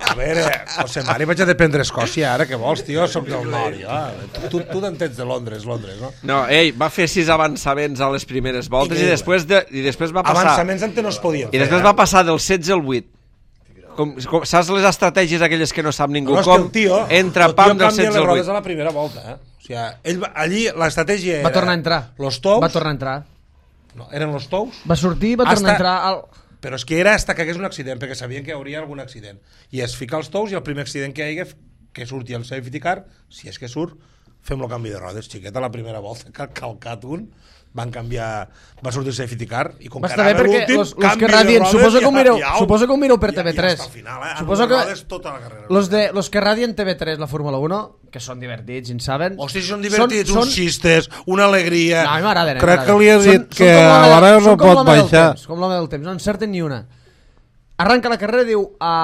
A veure, José Mari, vaig a dependre Escòcia, ara, què vols, tio? Soc del nord, jo. Tu, tu t'entens de Londres, Londres, no? No, ell va fer sis avançaments a les primeres voltes i Increïble. després, de, i després va passar... Avançaments antes no es podien I després va passar del setze al vuit. Com, com, saps les estratègies aquelles que no sap ningú? No, és que Com el tio, entra el tio pam del canvia setze les al rodes vuit. a la primera volta, eh? O sigui, ell va, allí l'estratègia era... Va tornar a entrar. Los tous... Va tornar a entrar. No, eren los tous... Va sortir i va tornar a Hasta- entrar al... Però és que era hasta que hagués un accident, perquè sabien que hi hauria algun accident. I es fica els tous i el primer accident que hi hagi, que surti el safety car, si és que surt, fem el canvi de rodes. Xiqueta, la primera volta que ha calcat un, van canviar... Va sortir el safety car i com Va que estar bé anava perquè l'últim, los, los canvi que de radien, rodes suposo i que ho mireu, i au. suposo que ho mireu per I- T V i tres. hasta el final, eh? Suposo Amb que les rodes tota la carrera. los, de, los que radien T V tres la Fórmula uno, que són divertits i en saben... Hòstia, si són divertits, són, uns xistes, una alegria... No, a mi m'agraden. a mi Crec que m'agraden. li has dit Són- que són com a l'home- l'hora no són com pot l'home del baixar. temps, Com l'home del temps, no encerten ni una. Arranca la carrera, diu, a,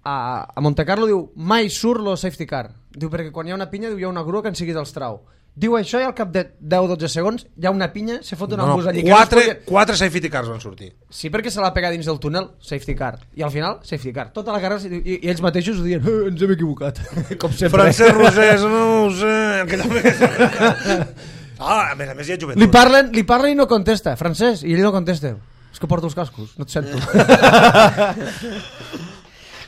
a, a Monte Carlo, diu, mai surt lo safety car. Diu, perquè quan hi ha una pinya, diu, hi ha una grua que en sigui dels trau. Diu això i al cap de deu o dotze segons hi ha una pinya, se fot una No, embús no, allí. quatre, Que no es podia... quatre safety cars van sortir. Sí, perquè se l'ha pegat dins del túnel, safety car. I al final, safety car. Tota la carrera, i, i ells mateixos ho diuen, eh, ens hem equivocat. Com sempre. Francesc Rosés, no ho sé... Que també... Ah, a més a més hi ha joventut. Li parlen, li parlen i no contesta, Francesc, i ell no contesta. És que porto els cascos, no et sento.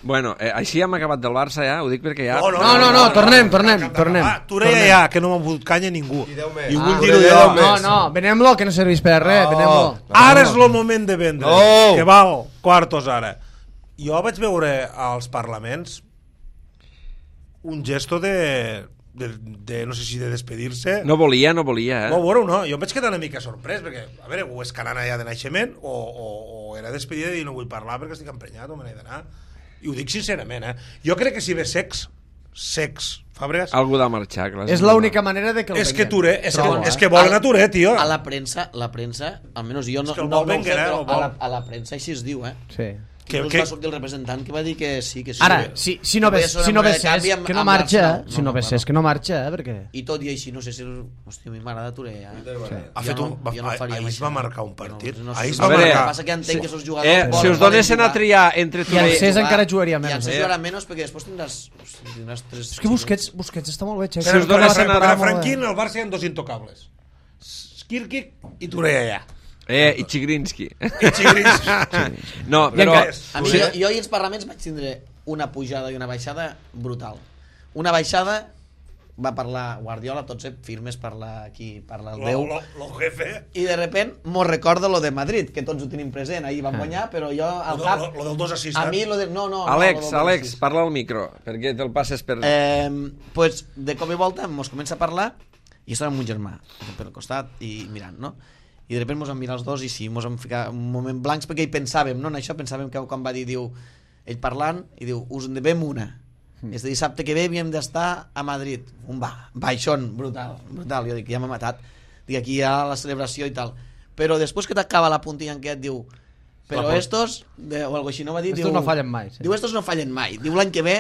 Bueno, eh, així hem acabat del Barça ja, ho dic perquè ja... No, no, no, tornem, tornem, tornem. Ah, tu ja, ja, que no m'ha fotut canya ningú. I deu més. I vull Ah, dir-ho deu jo. més. No, no, venem-lo, que no serveix per res, venem-lo. Ara és el moment de vendre, No. que val quartos ara. Jo vaig veure als parlaments un gesto de, de, de no sé si de despedir-se. No volia, no volia, eh? No, veure no, jo em vaig quedar una mica sorprès, perquè, a veure, o és canana ja de naixement, o, o, o era despedida i no vull parlar perquè estic emprenyat o me n'he d'anar. I ho dic sincerament, eh? Jo crec que si ve sex, sex, Fàbregas, Algú de marxar, clar. És l'única manera de que el és que venguem. Touré, és, que, Trobo, és eh? que volen A- a Touré, tio. A la premsa, la premsa, almenys jo no, que el no, vol no ho sé, Wenger, eh, però el vol. a la, a la premsa així es diu, eh? Sí. Que- Inclús que- va sortir el representant que va dir que sí, que sí. Ara, que- si, si no que ves, podia ser si una no moneda ves de canvi és amb- que no amb marxa, l'Arsenal. eh? Si no ves clar, és que no marxa, eh? Perquè... I tot i així, no sé si... Hòstia, a mi m'agrada Touré, eh? Ha Jo fet un, no- va, jo no faria ahir es això. va marcar un partit. Jo no, no, Ahir es sé. va A veure, El que marcar... passa que entenc que esos jugadors... Eh, volen- si us volen donessin a jugar. triar entre I el Touré... Cés jugar, encara jugaria I menys, el Cés eh? jugarà menys perquè després tindràs, tindràs tres... És que Busquets, Busquets està molt bé, Xavi. Però, us per, donessin per, a- per a molt bé. Franquín, al Barça hi ha dos intocables. Skirkic i Touré allà. Eh, i Chigrinsky. I Xigrins. No, I però... encara- A mi, jo, jo i els parlaments vaig tindre una pujada i una baixada brutal. Una baixada va parlar Guardiola, tots eh, firmes parla aquí, parla el Lo, Déu. lo, lo jefe. I de repent mos recordo lo de Madrid, que tots ho tenim present, ahir van guanyar, però jo al Lo, cap... lo, lo del dos assist. A mi lo de... No, no, Àlex, no, lo del Àlex, dos parla al micro, perquè te'l passes per... Eh, pues, de cop i volta mos comença a parlar i estava amb un germà per al costat i mirant, no? I de repente mos vam mirar els dos i sí, mos vam ficar un moment blancs perquè hi pensàvem, no? En això pensàvem que quan va dir, diu, ell parlant, i diu, us en devem una. Mm. És de dissabte que ve havíem d'estar a Madrid. Un va, baixón, brutal, brutal. Jo dic, ja m'ha matat. Dic, aquí hi ha la celebració i tal. Però després que t'acaba la puntilla en què et diu, però estos, de, o algo així no va dir, Estos diu, no fallen mai, sí. Diu, estos no fallen mai. Diu, l'any que ve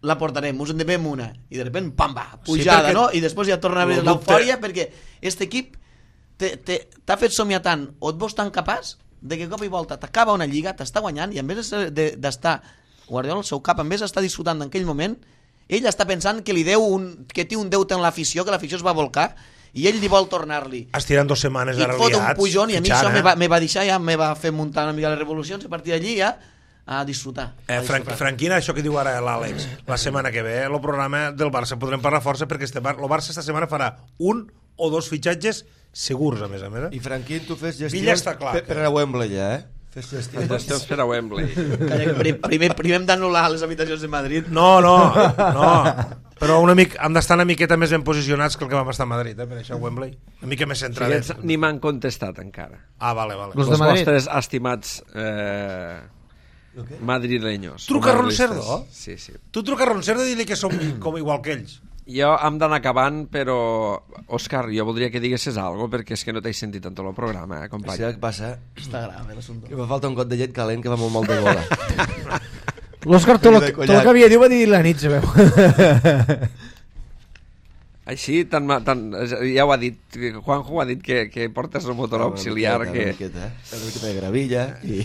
la portarem, us en devem una. I de repente, pam, va, pujada, perquè- no? I després ja torna a haver Lo dubte- l'eufòria perquè este equip te- te- t'ha fet somiar tant o et veus tan capaç de que cop i volta t'acaba una lliga, t'està guanyant i en vez de- de- d'estar Guardiola al seu cap, en vez d'estar disfrutant d'aquell moment, ell està pensant que li deu un, que té un deute en l'afició, que l'afició es va volcar i ell li vol tornar-li. Estiran dos setmanes I ara et fot un liats, pujón i a mi fitxant, això eh? me va, me va deixar, ja me va fer muntar una mica les revolucions i a partir d'allí ja a disfrutar. Eh, a Fran disfrutar. Franquina, això que diu ara l'Àlex, la setmana que ve, el programa del Barça podrem parlar força perquè este Bar el Barça esta setmana farà un o dos fitxatges segurs, a més a més. Eh? I Franquín, tu fes Villa gestions està clar per, que- per a Wembley, ja, eh? Fes les Els dos temps per a Wembley. Calla, que primer, primer hem d'anul·lar les habitacions de Madrid. No, no, no. Però una mica, hem d'estar una miqueta més ben posicionats que el que vam estar a Madrid, eh, per això Wembley. Una mica més centradets. Aquests ni m'han contestat encara. Ah, vale, vale. Los Els de Madrid. vostres estimats eh, madrileños. Truca o a madridistes. Roncerdo? Sí, sí. Tu truca a Roncerdo i dir-li que som com igual que ells. Jo hem d'anar acabant, però... Òscar, jo voldria que diguessis alguna cosa, perquè és que no t'he sentit en tot el programa, eh, company. Saps què passa? Està grave l'assumpte. Que me falta un got de llet calent que va molt mal de gola. L'Òscar tot De el collat. que havia dit va dir la nit, sabeu? Així, tan, ma- tan, ja ho ha dit, Juanjo ha dit que, que portes el motor auxiliar, Una que... miqueta, eh? Una miqueta de gravilla i...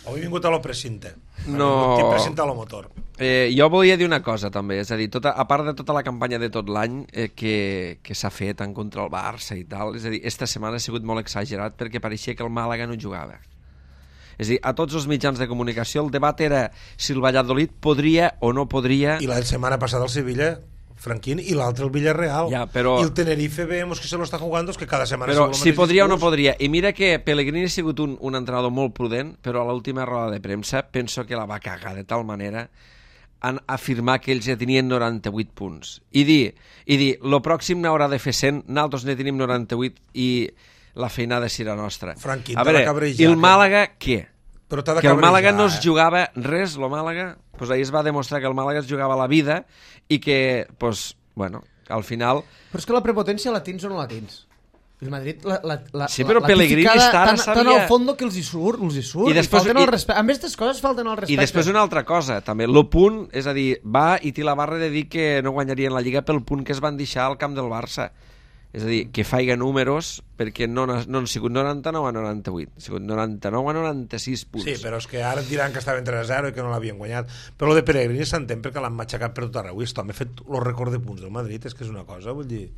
Avui he vingut a lo precinte. No. Tinc presenta lo motor. Eh, jo volia dir una cosa també, és a dir, tota, a part de tota la campanya de tot l'any eh, que, que s'ha fet en contra el Barça i tal, és a dir, esta setmana ha sigut molt exagerat perquè pareixia que el Màlaga no jugava. És a dir, a tots els mitjans de comunicació el debat era si el Valladolid podria o no podria... I la setmana passada el Sevilla, Franquín, i l'altre el Villarreal. Ja, però- I el Tenerife vemos que se lo está jugando, es que cada setmana... Però sigue el si mateix podria o no discurs. podria. I mira que Pellegrini ha sigut un, un entrenador molt prudent, però a l'última roda de premsa penso que la va cagar de tal manera en afirmar que ells ja tenien noranta-vuit punts. I dir, i dir, lo pròxim n'haurà de fer cent, nosaltres ne tenim noranta-vuit i la feinada serà nostra. Franqui, a t'ha veure, de cabrejar, i el que- Màlaga, què? Però t'ha de Que el cabrejar, Màlaga no es eh? jugava res, el Màlaga, pues ahir es va demostrar que el Màlaga es jugava la vida i que, pues, bueno, al final... Però és que la prepotència la tens o no la tens? El Madrid la, la, la, Sí, però la, Pellegrini tificada està ara tan, sabia- tan al fondo que els hi surt, els hi surt. I després- falten i- el respecte. A més, aquestes coses falten el respecte. I després una altra cosa, també, el punt, és a dir, va i té la barra de dir que no guanyarien la Lliga pel punt que es van deixar al camp del Barça. És a dir, que faiga números, perquè no, han- no han sigut noranta-nou a noranta-vuit, han sigut noranta-nou a noranta-sis punts. Sí, però és que ara et diran que estaven tres a zero i que no l'havien guanyat. Però el de Pellegrini s'entén perquè l'han matxacat per tot arreu. I esto, m'he fet el record de punts del Madrid, és que és una cosa, vull dir...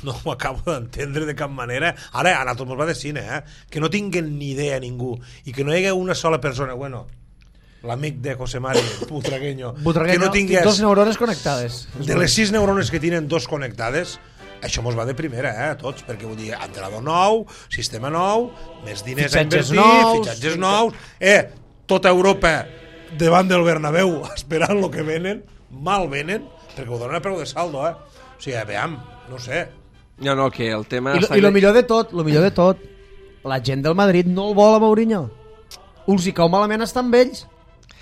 No ho acabo d'entendre de cap manera. Ara, a nosaltres ens va de cine, eh? Que no tinguen ni idea ningú i que no hi hagi una sola persona, bueno, l'amic de José Mari, Butragueño, Butragueño, que no tingués... dos neurones connectades. De les sis neurones que tenen dos connectades, això mos va de primera, eh, a tots, perquè vull dir, entrenador nou, sistema nou, més diners Fitxatges a invertir, nous, fitxatges sí, nous, eh, tota Europa davant del Bernabéu esperant el que venen, mal venen, perquè ho donen a preu de saldo, eh. O sigui, veam, no sé. No, no, que el tema... I, lo, està I lo que- millor de tot, lo millor de tot, la gent del Madrid no el vol a Mourinho. Els hi cau malament estar amb ells.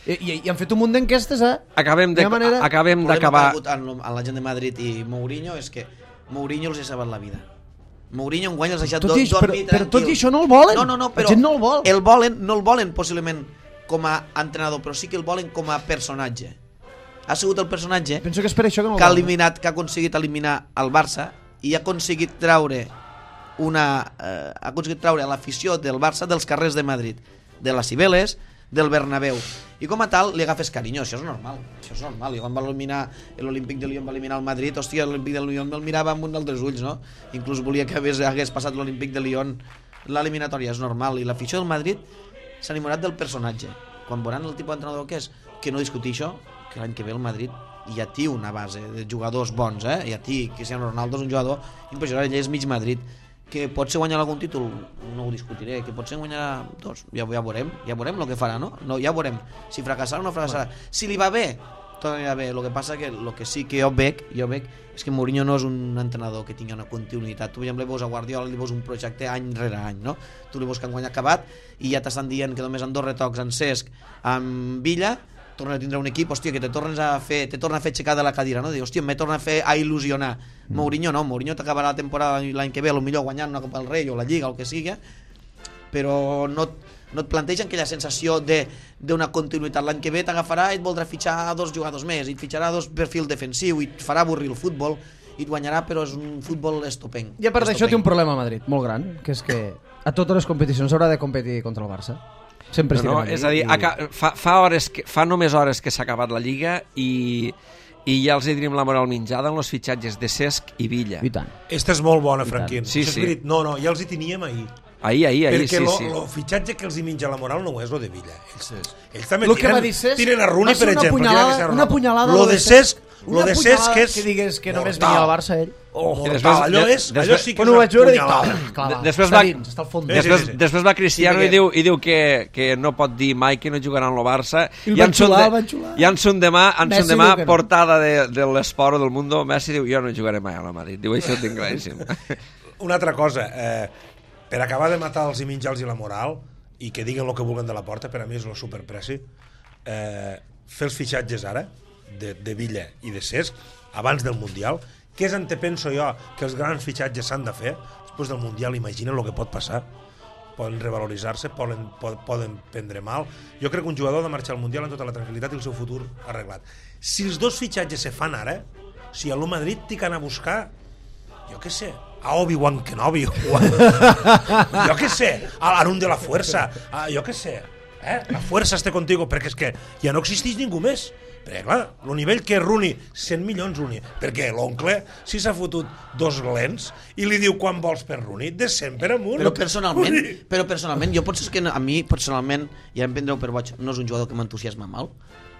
I, i, i han fet un munt d'enquestes, eh? Acabem de- Hi ha manera- acabem El problema d'acabar... que ha hagut en, en la gent de Madrid i Mourinho és que Mourinho els ha salvat la vida. Mourinho enguany els ha deixat Tot do, i això- però- dormir però tranquil. tot i això no el volen. No, no, no, La però gent no el vol. El volen, no el volen possiblement com a entrenador, però sí que el volen com a personatge. Ha sigut el personatge Penso que és per això que no el que ha volen. eliminat, que ha aconseguit eliminar el Barça i ha aconseguit treure una eh, ha aconseguit treure l'afició del Barça dels carrers de Madrid, de les Cibeles, del Bernabéu. I com a tal li agafes carinyo, això és normal. Això és normal. I quan va eliminar l'Olímpic de Lyon va eliminar el Madrid, hòstia, l'Olímpic de Lyon me'l mirava amb un d'altres ulls, no? Inclús volia que hagués, hagués passat l'Olímpic de Lyon l'eliminatòria, és normal. I l'afició del Madrid s'ha enamorat del personatge. Quan veuran el tipus d'entrenador que és, que no discutir això, que l'any que ve el Madrid ja té una base de jugadors bons, eh? Ja té, Cristiano Ronaldo és un jugador impressionant, ell és mig Madrid, que pot ser guanyar algun títol, no ho discutiré, que pot ser guanyar dos, ja, ja veurem, ja veurem el que farà, no? no ja veurem, si fracassarà o no fracassarà. Si li va bé, tot anirà bé, el que passa que el que sí que jo veig, jo veig és que Mourinho no és un entrenador que tingui una continuïtat. Tu, per exemple, li veus a Guardiola, li veus un projecte any rere any, no? Tu li veus que enguany ha acabat i ja t'estan dient que només en dos retocs en Cesc, amb Villa, torna a tindre un equip, hòstia, que te tornes a fer, te torna a fer aixecar de la cadira, no? Dir, hòstia, me torna a fer a il·lusionar. Mm. Mourinho no, Mourinho t'acabarà la temporada l'any que ve, potser guanyant una Copa del Rei o la Lliga o el que sigui, però no, no et plantegen aquella sensació de d'una continuïtat. L'any que ve t'agafarà i et voldrà fitxar dos jugadors més, i et fitxarà dos perfil defensiu, i et farà avorrir el futbol, i et guanyarà, però és un futbol estopenc. I a part d'això té un Estopenc. problema a Madrid, molt gran, que és que a totes les competicions haurà de competir contra el Barça. Sempre No, no, estirem és a dir, i... aca- fa, fa, hores que, fa només hores que s'ha acabat la Lliga i, i ja els hi tenim la moral menjada en els fitxatges de Cesc i Villa. I tant. Esta és molt bona, Franquín. Sí, Això és sí. veritat. No, no, ja els hi teníem ahir. Ahir, ahir, ahir, Perquè sí, lo, sí. lo fitxatge que els hi menja la moral no és lo de Villa. Ells, ells també Lo que tiren, va dir Cesc tiren a va Rooney, ser per una exemple. punyalada- tiren a una punyalada Lo lo de de Cesc, Una lo de punyalada Cesc és que digués que només mortal. venia al Barça ell. Oh, després- mortal, allò, de- és, allò després- sí que Quan és ho una vaig veure, dic, punyalada. "Oh, clar, va, Després està va- dins, està al fons. Sí, Després, sí, sí. després va Cristiano Sí, i, diu, i diu que, que no pot dir mai que no jugarà en el Barça. I el I van en son xular, de- el van xular. I en son demà, en Messi son demà diu que no. portada de, de l'Esport o del Mundo, Messi diu, jo no jugaré mai a la Madrid. Diu, això ho tinc claríssim. Una altra cosa, eh, per acabar de matar els imitjals i la moral, i que diguen el que vulguen de la porta, per a mi és el superpreci, eh, fer els fitxatges ara, de, de Villa i de Cesc, abans del Mundial, què és en te penso jo que els grans fitxatges s'han de fer després del Mundial? Imagina el que pot passar, poden revaloritzar-se, poden, poden prendre mal. Jo crec que un jugador ha de marxar al Mundial amb tota la tranquil·litat i el seu futur arreglat. Si els dos fitxatges se fan ara, si a l'U Madrid t'hi que anar a buscar, jo què sé, a Obi-Wan Kenobi, o a, jo què sé, a l'Arun de la Fuerza, a, jo què sé, eh? La Fuerza esté contigo, perquè és que ja no existeix ningú més. Perquè, clar, el nivell que és Rooney, cent milions Rooney, perquè l'oncle, si s'ha fotut dos lents i li diu quan vols per Rooney, de cent per amunt. Però personalment, però personalment, jo potser és que a mi, personalment, ja em prendreu per boig, no és un jugador que m'entusiasma mal,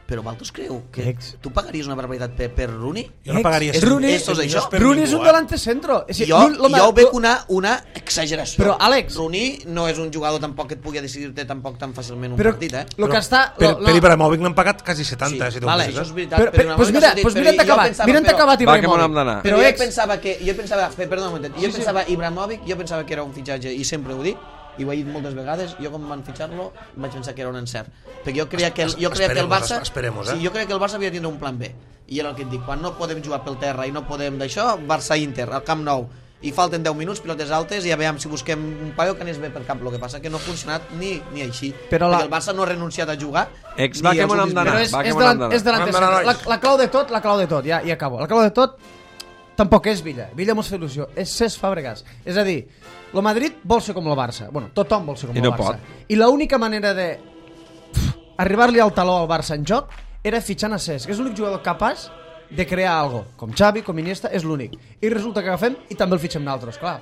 però vosaltres creu que Ex. tu pagaries una barbaritat per, per Rooney? Jo no pagaria És cent Rooney, milions és això. per Rooney és ningú, un eh? delante centro. És a dir, Jo, lo- lo- jo ho veig lo- una, una exageració. Però, Àlex- Rooney no és un jugador tampoc que et pugui decidir-te tampoc tan fàcilment un Però partit, eh? lo que està... Per, lo- per lo- Ibrahimovic n'han pagat quasi setanta, si t'ho vale, fixes, això eh? és veritat. Però, però, pues mira, pues mira, t'ha acabat, mira, t'ha acabat Va, que me n'hem Ibrahimovic. d'anar. Però Però jo ex, pensava que, jo pensava, pe- perdona un moment, jo pensava Ibrahimovic, jo pensava que era un fitxatge, i sempre ho dic, i ho he dit moltes vegades, jo quan van fitxar-lo vaig pensar que era un encert, perquè jo creia que el, jo creia que el Esperemos, Barça, esperemos, eh? sí, jo creia que el Barça havia de tindre un plan B, i era el que et dic, quan no podem jugar pel terra i no podem d'això, Barça-Inter, al Camp Nou, i falten deu minuts, pilotes altes, i a veure si busquem un paio que anés bé per cap, el que passa que no ha funcionat ni, ni així, Però la- perquè el Barça no ha renunciat a jugar. Ex, ni va, que els me n'hem últims d'anar. però minuts. és, va, que és, me delant, n'hem d'anar. és delante Vam d'anar, centro. La, nois. la clau de tot, la clau de tot, ja, ja acabo. La clau de tot tampoc és Villa. Villa mos fa il·lusió. És Cesc Fàbregas. És a dir, el Madrid vol ser com el Barça. Bueno, tothom vol ser com I el no Barça. pot. I l'única manera de pff, arribar-li al taló al Barça en joc era fitxant a Cesc, que és l'únic jugador capaç de crear algo. Com Xavi, com Iniesta, és l'únic. I resulta que agafem i també el fitxem nosaltres, clar.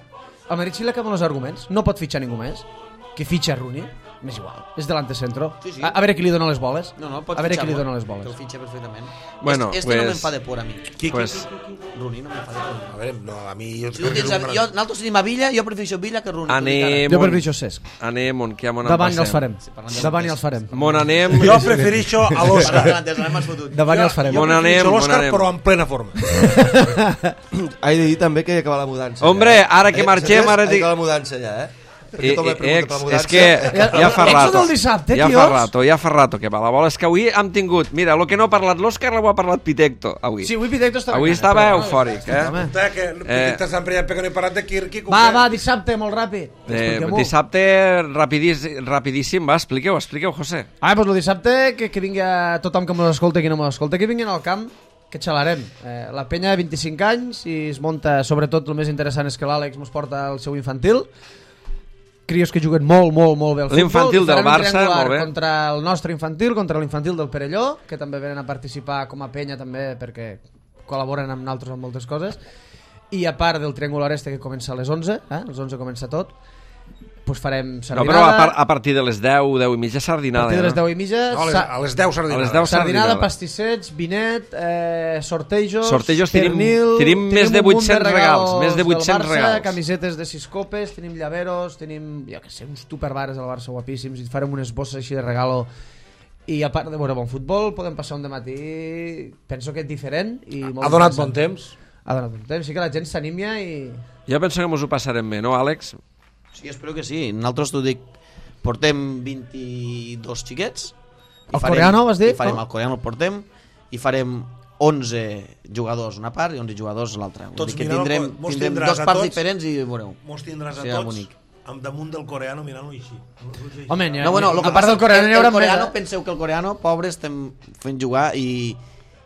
Al Madrid sí li acaben els arguments. No pot fitxar ningú més. Que fitxa Rooney, m'és igual. És delante centro. Sí, sí. A, a veure qui li dona les boles. No, no, pot a veure qui fitxar-lo. li dona les boles. Que el fitxa perfectament. Bueno, este, este pues- no me'n fa de por a mi. Qui, Pues, Rooney no me'n fa de por. A veure, no, a mi... Jo Si tu tens a, jo, nosaltres tenim a Villa, jo prefereixo Villa que Rooney. Anem, Jo on, per això Cesc. anem, on, que ja m'on Davant ja els passem. farem. Davant ja els farem. M'on anem, Jo prefereixo a l'Òscar. Davant ja els farem. On Jo anem, prefereixo on l'Òscar, anem. però en plena forma. He de dir també que acaba la mudança. Hombre, ja. ara que Eh, marxem, saps? ara He dic- acaba la mudança ja, eh? Perquè Eh, tothom me eh, pregunta ex, per la mudança. és que ja, ja fa Ex rato, del dissabte, ja tios. fa rato, ja fa rato que va la bola. És que avui hem tingut, mira, el que no ha parlat l'Òscar ho ha parlat Pitecto, avui. Sí, avui Pitecto estava... Avui gana, estava però, eufòric, eh? Home. Puta, que Eh. t'estàs emprenyat perquè no he parat de Kirki. Va, va, dissabte, molt ràpid. Eh, Expliquem-ho. dissabte rapidís, rapidíssim, va, expliqueu, expliqueu, José. Ah, doncs el dissabte, que, que vingui tothom que m'escolta i qui no m'escolta, que vinguin al camp, que xalarem. Eh, la penya, vint-i-cinc anys, i es munta, sobretot, el més interessant és que l'Àlex mos porta el seu infantil, crios que juguen molt, molt, molt bé al futbol. L'infantil I faran del un Barça, triangular molt bé. Contra el nostre infantil, contra l'infantil del Perelló, que també venen a participar com a penya també perquè col·laboren amb nosaltres en moltes coses. I a part del triangular este que comença a les onze, eh? A les onze comença tot, pues farem No, sardinada. però a, par a partir de les deu, deu i mitja a sardinada. partir de les no? deu i mitja, No, a les, sa- a les deu sardinades. A les deu sardinada, sardinada. pastissets, vinet, eh, sortejos, Sortejos tenim- pernil, tenim més de un munt vuit-cents regals, més de del vuit-cents Barça, regals. camisetes de sis copes, tenim llaveros, tenim, jo que sé, uns tupperwares del Barça guapíssims, i farem unes bosses així de regalo. I a part de veure bon futbol, podem passar un dematí, penso que és diferent. I molt Ha donat interessant. bon temps. Ha donat bon temps, sí que la gent s'anímia i... Jo penso que mos ho passarem bé, no, Àlex? Sí, espero que sí. Nosaltres, t'ho dic, portem vint-i-dos xiquets. i El coreano, vas dir? I farem No? el coreano, el portem, i farem onze jugadors una part i onze jugadors l'altra. Vull Tots dir que mirant el tindrem, co- mos tindrem tindràs dos a parts tots. diferents i veureu. Mos tindràs a Serà tots bonic. amb damunt del coreano mirant-ho així. Home, n'hi ha- No, bueno, lo que a part del passa coreano que n'hi haurà el coreano, més, eh? penseu que el coreano, pobre, estem fent jugar i,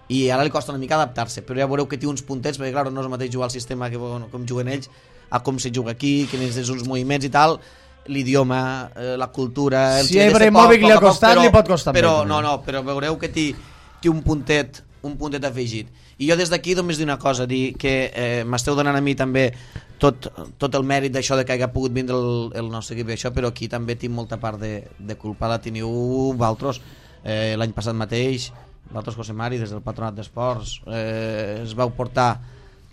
i ara li costa una mica adaptar-se, però ja veureu que té uns puntets, perquè clar, no és el mateix jugar al sistema que bueno, com juguen ells, a com se juga aquí, que necessites uns moviments i tal, l'idioma, eh, la cultura... el Si que a ha de ser Ibrahimovic poc, li ha poc a poc, costat, però- li pot costar però, més, no, també. no, però veureu que té, té un puntet un puntet afegit. I jo des d'aquí només dir una cosa, dir que eh, m'esteu donant a mi també tot, tot el mèrit d'això de que hagi pogut vindre el, el nostre equip i això, però aquí també tinc molta part de, de culpa, la teniu vosaltres. Eh, l'any passat mateix, vosaltres, José Mari, des del Patronat d'Esports, eh, es vau portar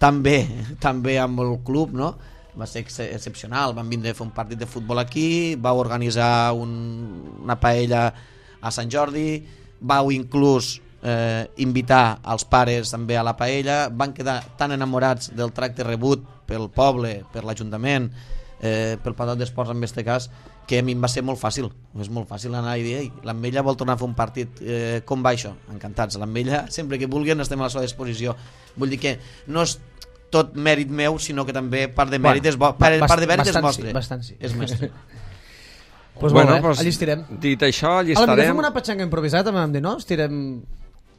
també, també amb el club, no? Va ser ex excepcional, van vindre a fer un partit de futbol aquí, vau organitzar un, una paella a Sant Jordi, vau inclús eh, invitar els pares també a la paella, van quedar tan enamorats del tracte rebut pel poble, per l'Ajuntament, eh, pel Palau d'Esports en aquest cas, que a mi em va ser molt fàcil, és molt fàcil anar i dir, ei, l'Ametlla vol tornar a fer un partit, eh, com va això? Encantats, l'Ametlla, sempre que vulguin estem a la seva disposició. Vull dir que no és tot mèrit meu, sinó que també part de mèrit és, bo, part, part de mèrit és vostre. Sí, bastant sí. És mestre. Pues bueno, molt bé, pues, allí estirem. Dit això, allí A la millor estarem. fem una petxanga improvisada, també vam dir, no? Estirem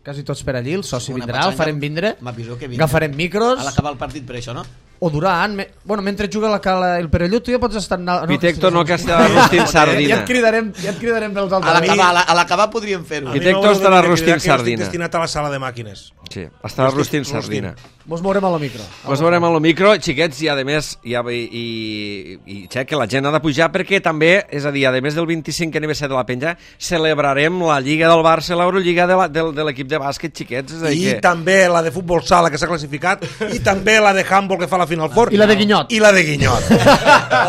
quasi tots per allí, el soci Una vindrà, el petxanga, farem vindre, m'aviso que vindrà. agafarem micros, A l'acabar el partit per això, no? o durant, me... bueno, mentre juga la cala i el Perelló, tu ja pots estar... No, Pitecto no, que estarà rostint Ja sardina. et cridarem, ja et cridarem pels A altres. l'acabar a la- a l'acabar podríem fer-ho. A mi Pitecto m'haureu de estarà dir que rostint jo estic sardina. destinat a la sala de màquines. Sí, estarà Rostint- rostint rostint. sardina. Mos mourem a la micro. Ens veurem a lo micro, xiquets, i a més, i, i, i, i xec, que la gent ha de pujar perquè també, és a dir, a més del vint-i-cinc aniversari de la penja, celebrarem la Lliga del Barça, l'Eurolliga de, la, de, de l'equip de bàsquet, xiquets. És a dir I que... també la de futbol sala, que s'ha classificat, i també la de handball, que fa la Final Four. I la de Guinyot. I la de Guinyot.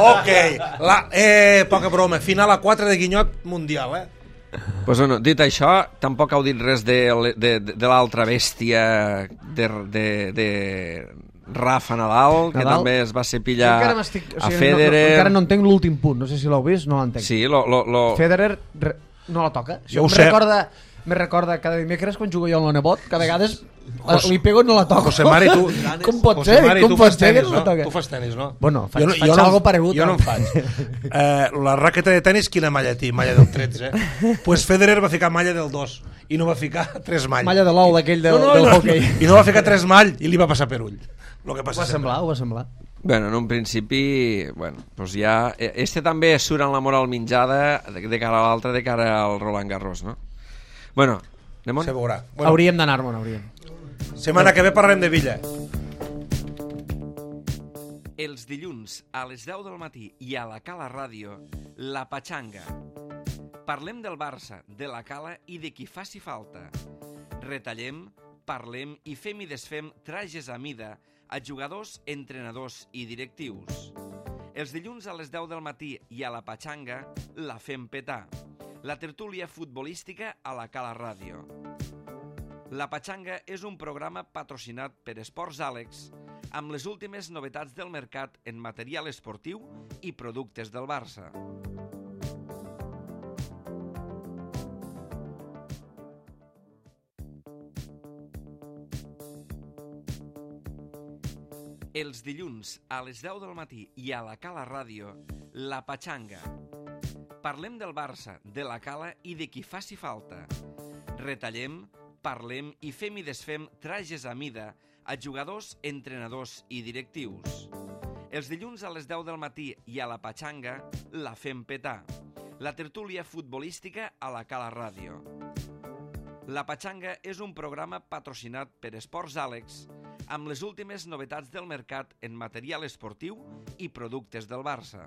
Ok. La, eh, poca broma. Final a quatre de Guinyot mundial, eh? Pues bueno, dit això, tampoc heu dit res de, de, de, de l'altra bèstia de, de, de Rafa Nadal, que Nadal? també es va ser pillar Encara m'estic- o a sigui, Federer. No, no, encara no entenc l'últim punt, no sé si l'heu vist, no l'entenc. Sí, lo, lo, lo... Federer re, no la toca. Jo ho em sé. recorda, me recorda cada dimecres quan jugo jo amb el nebot, que a vegades Jos- li pego i no la toco. José Mari, tu... Com pot José ser? Mari, Com tu pot fas ser que tenis, no la no? toca? Tu fas tenis, no? Bueno, faig- Jo no- faig jo no- algo paregut, Jo no no? en faig. Eh, la raqueta de tenis, quina malla té? Malla del tretze. Eh? Pues Federer va ficar malla del dos i no va ficar tres mall. Malla de l'ou d'aquell del, no, no, del no, hockey. I no va ficar tres mall i li va passar per ull. Lo que Ho passa va semblar, ho va semblar. Bueno, en un principi, bueno, pues ja... Este també surt en la moral minjada de, de cara a l'altre, de cara al Roland Garros, no? Bueno, anem on? Se veurà. Bueno. Hauríem d'anar-me'n, hauríem. Setmana que ve parlem de Villa. Els dilluns a les deu del matí i a la Cala Ràdio, La Patxanga. Parlem del Barça, de la Cala i de qui faci falta. Retallem, parlem i fem i desfem trajes a mida a jugadors, entrenadors i directius. Els dilluns a les deu del matí i a La Patxanga la fem petar. La tertúlia futbolística a la Cala Ràdio. La Patxanga és un programa patrocinat per Esports Àlex amb les últimes novetats del mercat en material esportiu i productes del Barça. Els dilluns a les deu del matí i a la Cala Ràdio, La Patxanga. Parlem del Barça, de la Cala i de qui faci falta. Retallem, parlem i fem i desfem trajes a mida a jugadors, entrenadors i directius. Els dilluns a les deu del matí i a la Patxanga la fem petar. La tertúlia futbolística a la Cala Ràdio. La Patxanga és un programa patrocinat per Esports Àlex amb les últimes novetats del mercat en material esportiu i productes del Barça.